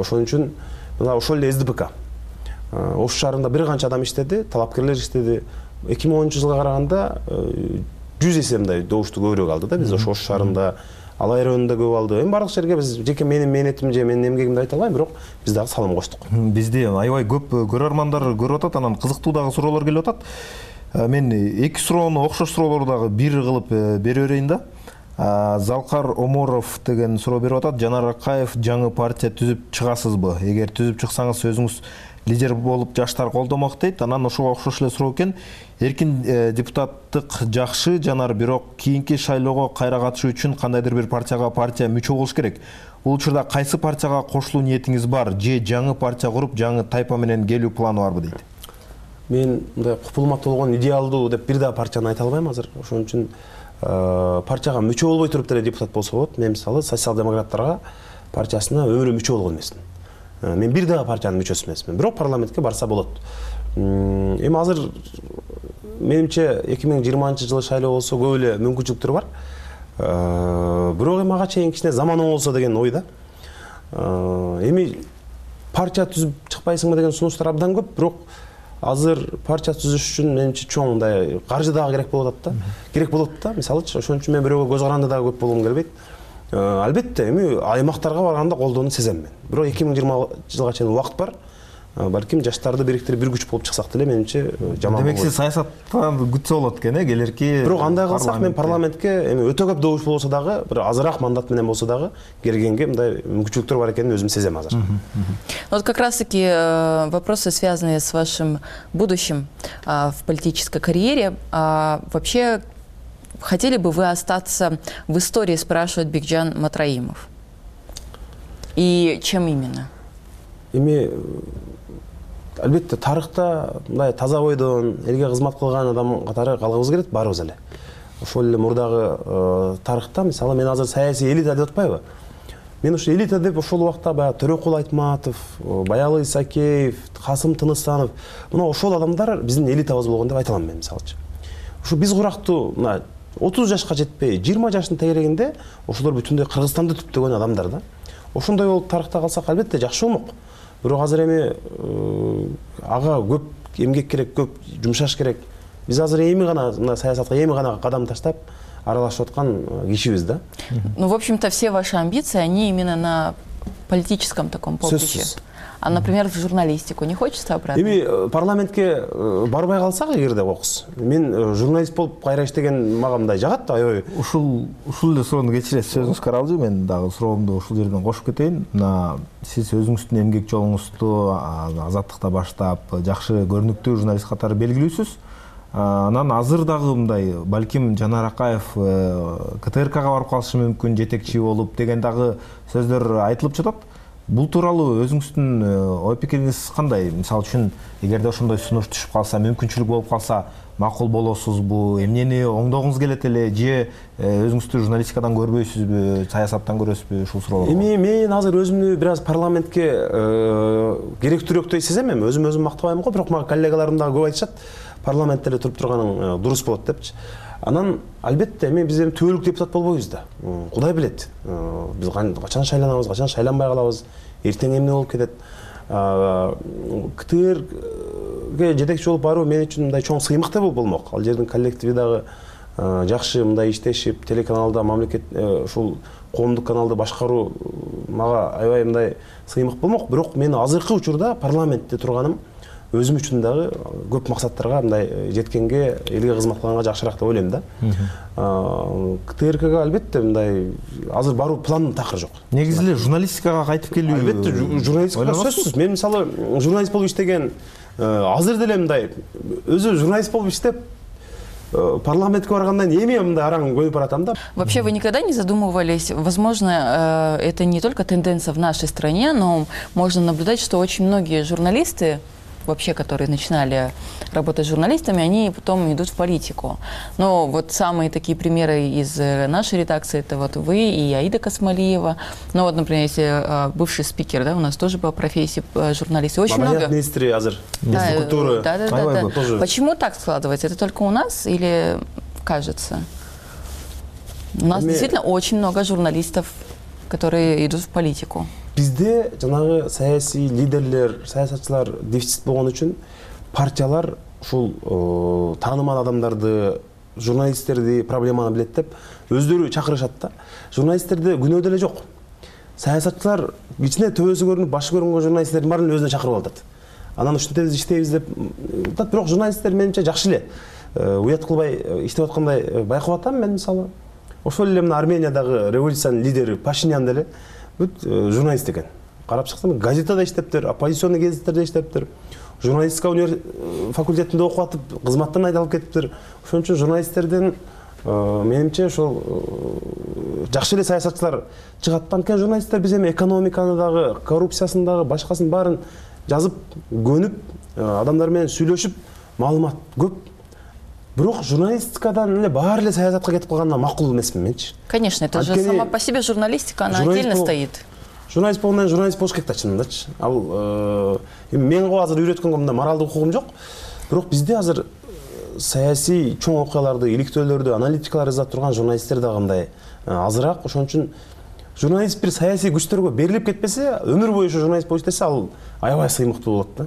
Ошон үчүн мына ошол эле СДПК Ош шаарында бир канча адам иштеди, талапкерлер иштеди. 2010-жылга караганда 100 эсе мындай добушту көбүрөөк алды да биз Ош шаарында. Алай районунда көп алды. Эми бардык жерге биз жеке менин мээнетим же менин эмгегимди айта албайм, бирок биз дагы салым коштук. Бизде аябай көп көрөрмандар көрүп атат, анан кызыктуу дагы суроолор келип атат. Мен эки суроону окшош суроолорду дагы бир кылып бере берейин да. Залкар Оморов деген суроо берип атат. Жанар Акаев жаңы партия түзүп чыгасызбы? Эгер түзүп чыксаңыз өзүңүз лидер болуп жаштар колдомок дейт. Анан ошого окшош эле суроо экен. Эркин депутаттык жакшы, Жанар, бирок кийинки шайлоого кайра катышуу үчүн кандайдыр бир партия мүчө болуш керек. Бул учурда кайсы партияга кошулуу ниетиңиз бар? Же жаңы партия куруп, жаңы тайпа менен келүү планы барбы дейт. Мен мындай купулмактуу болгон идеалдуу деп бир да партияны айта албайм азыр. Ошон үчүн партияга мүчө болбой туруп деле депутат болсо болот. Мен мисалы социал-демократтарга партиясына өмүрү мүчө болгон эмесмин. Мен бир дагы партиянын мүчөсү эмесмин. Бирок парламентке барса болот. Эми азыр менимче 2020-жылы шайлоо болсо көп эле мүмкүнчүлүктөр бар. Бирок эми ага чейин кичине заман оңолсо деген ой да. Эми партия түзүп чыкпайсыңбы деген сунуштар абдан көп, бирок азыр партия түзүш үчүн менимче чоң мындай каржы дагы керек болуп атат да. Керек болот да. Мисалычы ошон үчүн мен бирөөгө көз каранды дагы көп болгум келбейт. Албетте эми аймактарга барганда колдоону сезем мен. Бирок 2020-жылга чейин убакыт бар. Балким жаштарды бириктирип бир күч болуп чыксак деле менимче жаман болот. Демек сиз саясаттан күтсө болот экен, келерки. Бирок андай кылсак мен парламентке эми өтө көп добуш болсо дагы, бир азыраак мандат менен болсо дагы келгенге мындай мүмкүнчүлүктөр бар экенин өзүм сезем азыр. Вот как раз-таки вопросы, связанные с вашим будущим в политической карьере. Вообще, хотели бы вы остаться в истории, спрашивает Бекжан Матраимов. И чем именно? Эми албетте тарыхта мындай таза бойдон элге кызмат кылган адам катары калгыбыз келет баарыбыз эле. Ошол эле мурдагы тарыхта мисалы мен азыр саясий элита деп атпайбы? Мен ушу элита деп ошол убакта баягы Төрөкул Айтматов, Баялы Исакеев, Касым Тыныстанов, мына ошол адамдар биздин элитабыз болгон деп айта алам мен мисалычы. Ушу биз курактуу мына 30 жашка жетпей 20 жаштын тегерегинде ошолор бүтүндөй Кыргызстанды түптөгөн адамдар да. Ошондой болуп тарыхта калсак албетте жакшы болмок. Бирок азыр эми ага көп эмгек керек, көп жумшаш керек. Биз азыр эми гана мына саясатка эми гана кадам таштап, аралашып аткан кишибиз да. Ну, в общем-то, все ваши амбиции, они именно на политическом таком поприще. А, например, в журналистику не хочется обратно? Эми парламентке барбай калсак эгерде кокус, мен журналист болуп кайра иштеген мага мындай жагат, аябай. Ушул эле суроону кечиресиз, сөзүңүз каралды. Мен дагы суроомду ушул жерден кошуп кетейин. Мына сиз өзүңүздүн эмгек жолуңузду Азаттыкта баштап, жакшы көрүнүктүү журналист катары белгилүүсүз. Анан азыр дагы мындай, балким Жанар Акаев КТРКга барып калышы мүмкүн, жетекчи болуп деген дагы сөздөр айтылып жатат. Бул тууралуу өзүңүздүн ой пикириңиз кандай? Мисалы үчүн, эгерде ошондой сунуш түшүп калса, мүмкүнчүлүк болуп калса, макул болосузбу? Эмнени оңдогуңуз келет эле, же өзүңүздү журналистикадан көрбөйсүзбү, саясаттан көрөсүзбү? Ушул суроолор. Эми мен азыр өзүмдү бир аз парламентке керектүүрөөкдөй сезем. Өзүм мактабайм го, бирок мага коллегаларым дагы көп айтышат, парламентте эле туруп турганың дурус болот депчи. Анан албетте биз эми түбөлүк депутат болбойбуз да. Кудай билет. Биз качан шайланабыз, качан шайланбай калабыз, эртең эмне болуп кетет. КТРге жетекчи болуп баруу мен үчүн мындай чоң сыймык да болмок. Ал жердин коллективи дагы жакшы мындай иштешип, телеканалда мамлекет ушул коомдук каналды башкаруу мага аябай мындай сыймык болмок. Бирок мен азыркы учурда парламентте турганым өзүм үчүн дагы көп максаттарга мындай жеткенге, элге кызмат кылганга жакшыраак деп ойлойм да. КТРКга албетте мындай азыр баруу пландын такыры жок. Негизи эле журналистикага кайтып келүү. Албетте журналистикага сөзсүз. Мен мисалы журналист болуп иштеген, азыр деле мындай өзү журналист болуп иштеп парламентке баргандан эми мындай араң көнүп баратам да. Вообще вы никогда не задумывались, возможно, это не только тенденция в нашей стране, но можно наблюдать, что очень многие журналисты, вообще, которые начинали работать с журналистами, они потом идут в политику. Но вот самые такие примеры из нашей редакции, это вот вы и Аида Касмалиева. Ну вот, например, если бывший спикер, да, у нас тоже по профессии журналист. Очень много. Министры азыр, культуры. Да. Почему так складывается? Это только у нас или кажется? У нас действительно очень много журналистов, которые идут в политику. Бизде жанагы саясий лидерлер, саясатчылар дефицит болгон үчүн партиялар ушул таанымал адамдарды, журналисттерди проблеманы билет деп өздөрү чакырышат да. Журналисттерде күнөө деле жок. Саясатчылар кичине төбөсү көрүнүп, башы көрүнгөн журналисттердин баарын өзүнө чакырып алат. Анан ушинтебиз иштейбиз деп атат, бирок журналисттер менимче жакшы эле уят кылбай иштеп аткандай байкап атам мен мисалы. Ошол эле мына Армениядагы революциянын лидери Пашинян деле журналист экен. Карап чыксам, газетада иштептир, оппозиционный гезиттерде иштептир, журналистика факультетинде окуп атып, кызматтан айдалып кетиптир. Ошон үчүн журналисттерден менимче ошол жакшы эле саясатчылар чыгат. Анткени журналисттер биз эми экономиканы дагы, коррупциясын дагы, башкасын баарын жазып, көнүп, адамдар менен сүйлөшүп, маалымат көп. Бирок журналистикадан эле баары эле саясатка кетип калганына макул эмесмин менчи. Конечно, это же сама по себе журналистика, она отдельно стоит. Журналист болгондон журналист болуш керек да чынындачы. Ал мен го азыр үйрөткөнгө мындай моралдык укугум жок. Бирок бизде азыр саясий чоң окуяларды, иликтөөлөрдү, аналитикалар жаза турган журналисттер дагы мындай азыраак. Ошон үчүн журналист бир саясий күчтөргө берилип кетпесе, өмүр бою ошо журналист болуп иштесе, ал аябай сыймыктуу болот да.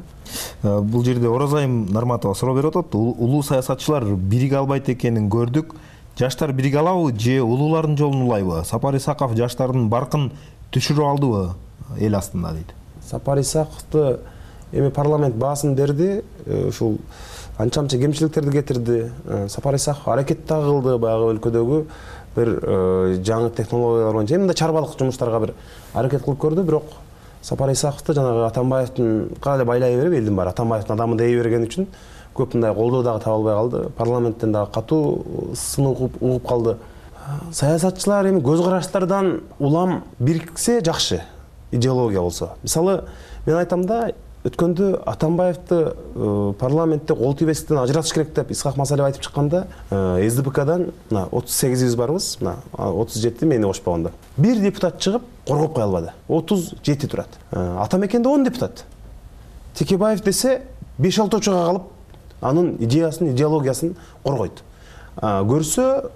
Бул жерде Оразайым Нарматова суроо берип атат. Улуу саясатчылар бириге албайт экенин көрдүк. Жаштар бириге алабы же улуулардын жолун улайбы? Сапар Исаков жаштардын баркын түшүрүп алдыбы эл астында дейт. Сапар Исаковду эми парламент баасын берди, ушул анча-мынча кемчиликтерди кетирди. Сапар Исаков аракет дагы кылды баягы өлкөдөгү бир жаңы технологиялар боюнча мындай чарбалык жумуштарга бир аракет кылып көрдү, бирок Сапар Исаковду жанагы Атамбаевдин кале байлай берип, элдин баары Атамбаевдин адамы дей берген үчүн көп мындай колдоо дагы таба албай калды. Парламенттен дагы катуу сын угуп калды. Саясатчылар эми көз караштардан улам бириксе жакшы, идеология болсо. Мисалы, мен айтам да, өткөндө Атамбаевди парламентте кол тийбестен ажыратыш керек деп Исхак Масалиев айтып чыкканда, СДПКдан 38 барбыз, 37 мени кошпогондо. Бир депутат чыгып коргоп кое албады. 37 турат. Атамекенде 10 депутат. Текебаев десе 5-6 чыга калып, анын идеясын, идеологиясын коргойт. көрсө,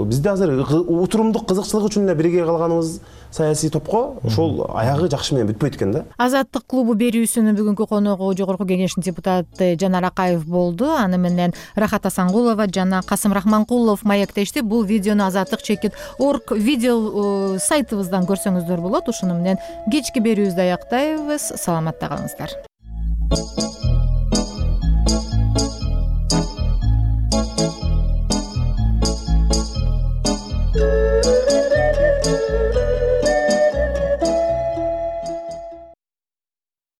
бизде азыр утурумдук кызыкчылык үчүн эле бирге калганыбыз саясий топко ошол аягы жакшы менен бүтпөйт экен да. Азаттык клубу берүүсүнүн бүгүнкү коногу Жогорку Кеңештин депутаты Жанар Акаев болду. Аны менен Рахат Асангулова жана Касым Рахманкулов маектешти. Бул видеону azattik.org видео сайтыбыздан көрсөңүздөр болот. Ушуну менен кечки берүүбүздү аяктайбыз. Саламатта калыңыздар.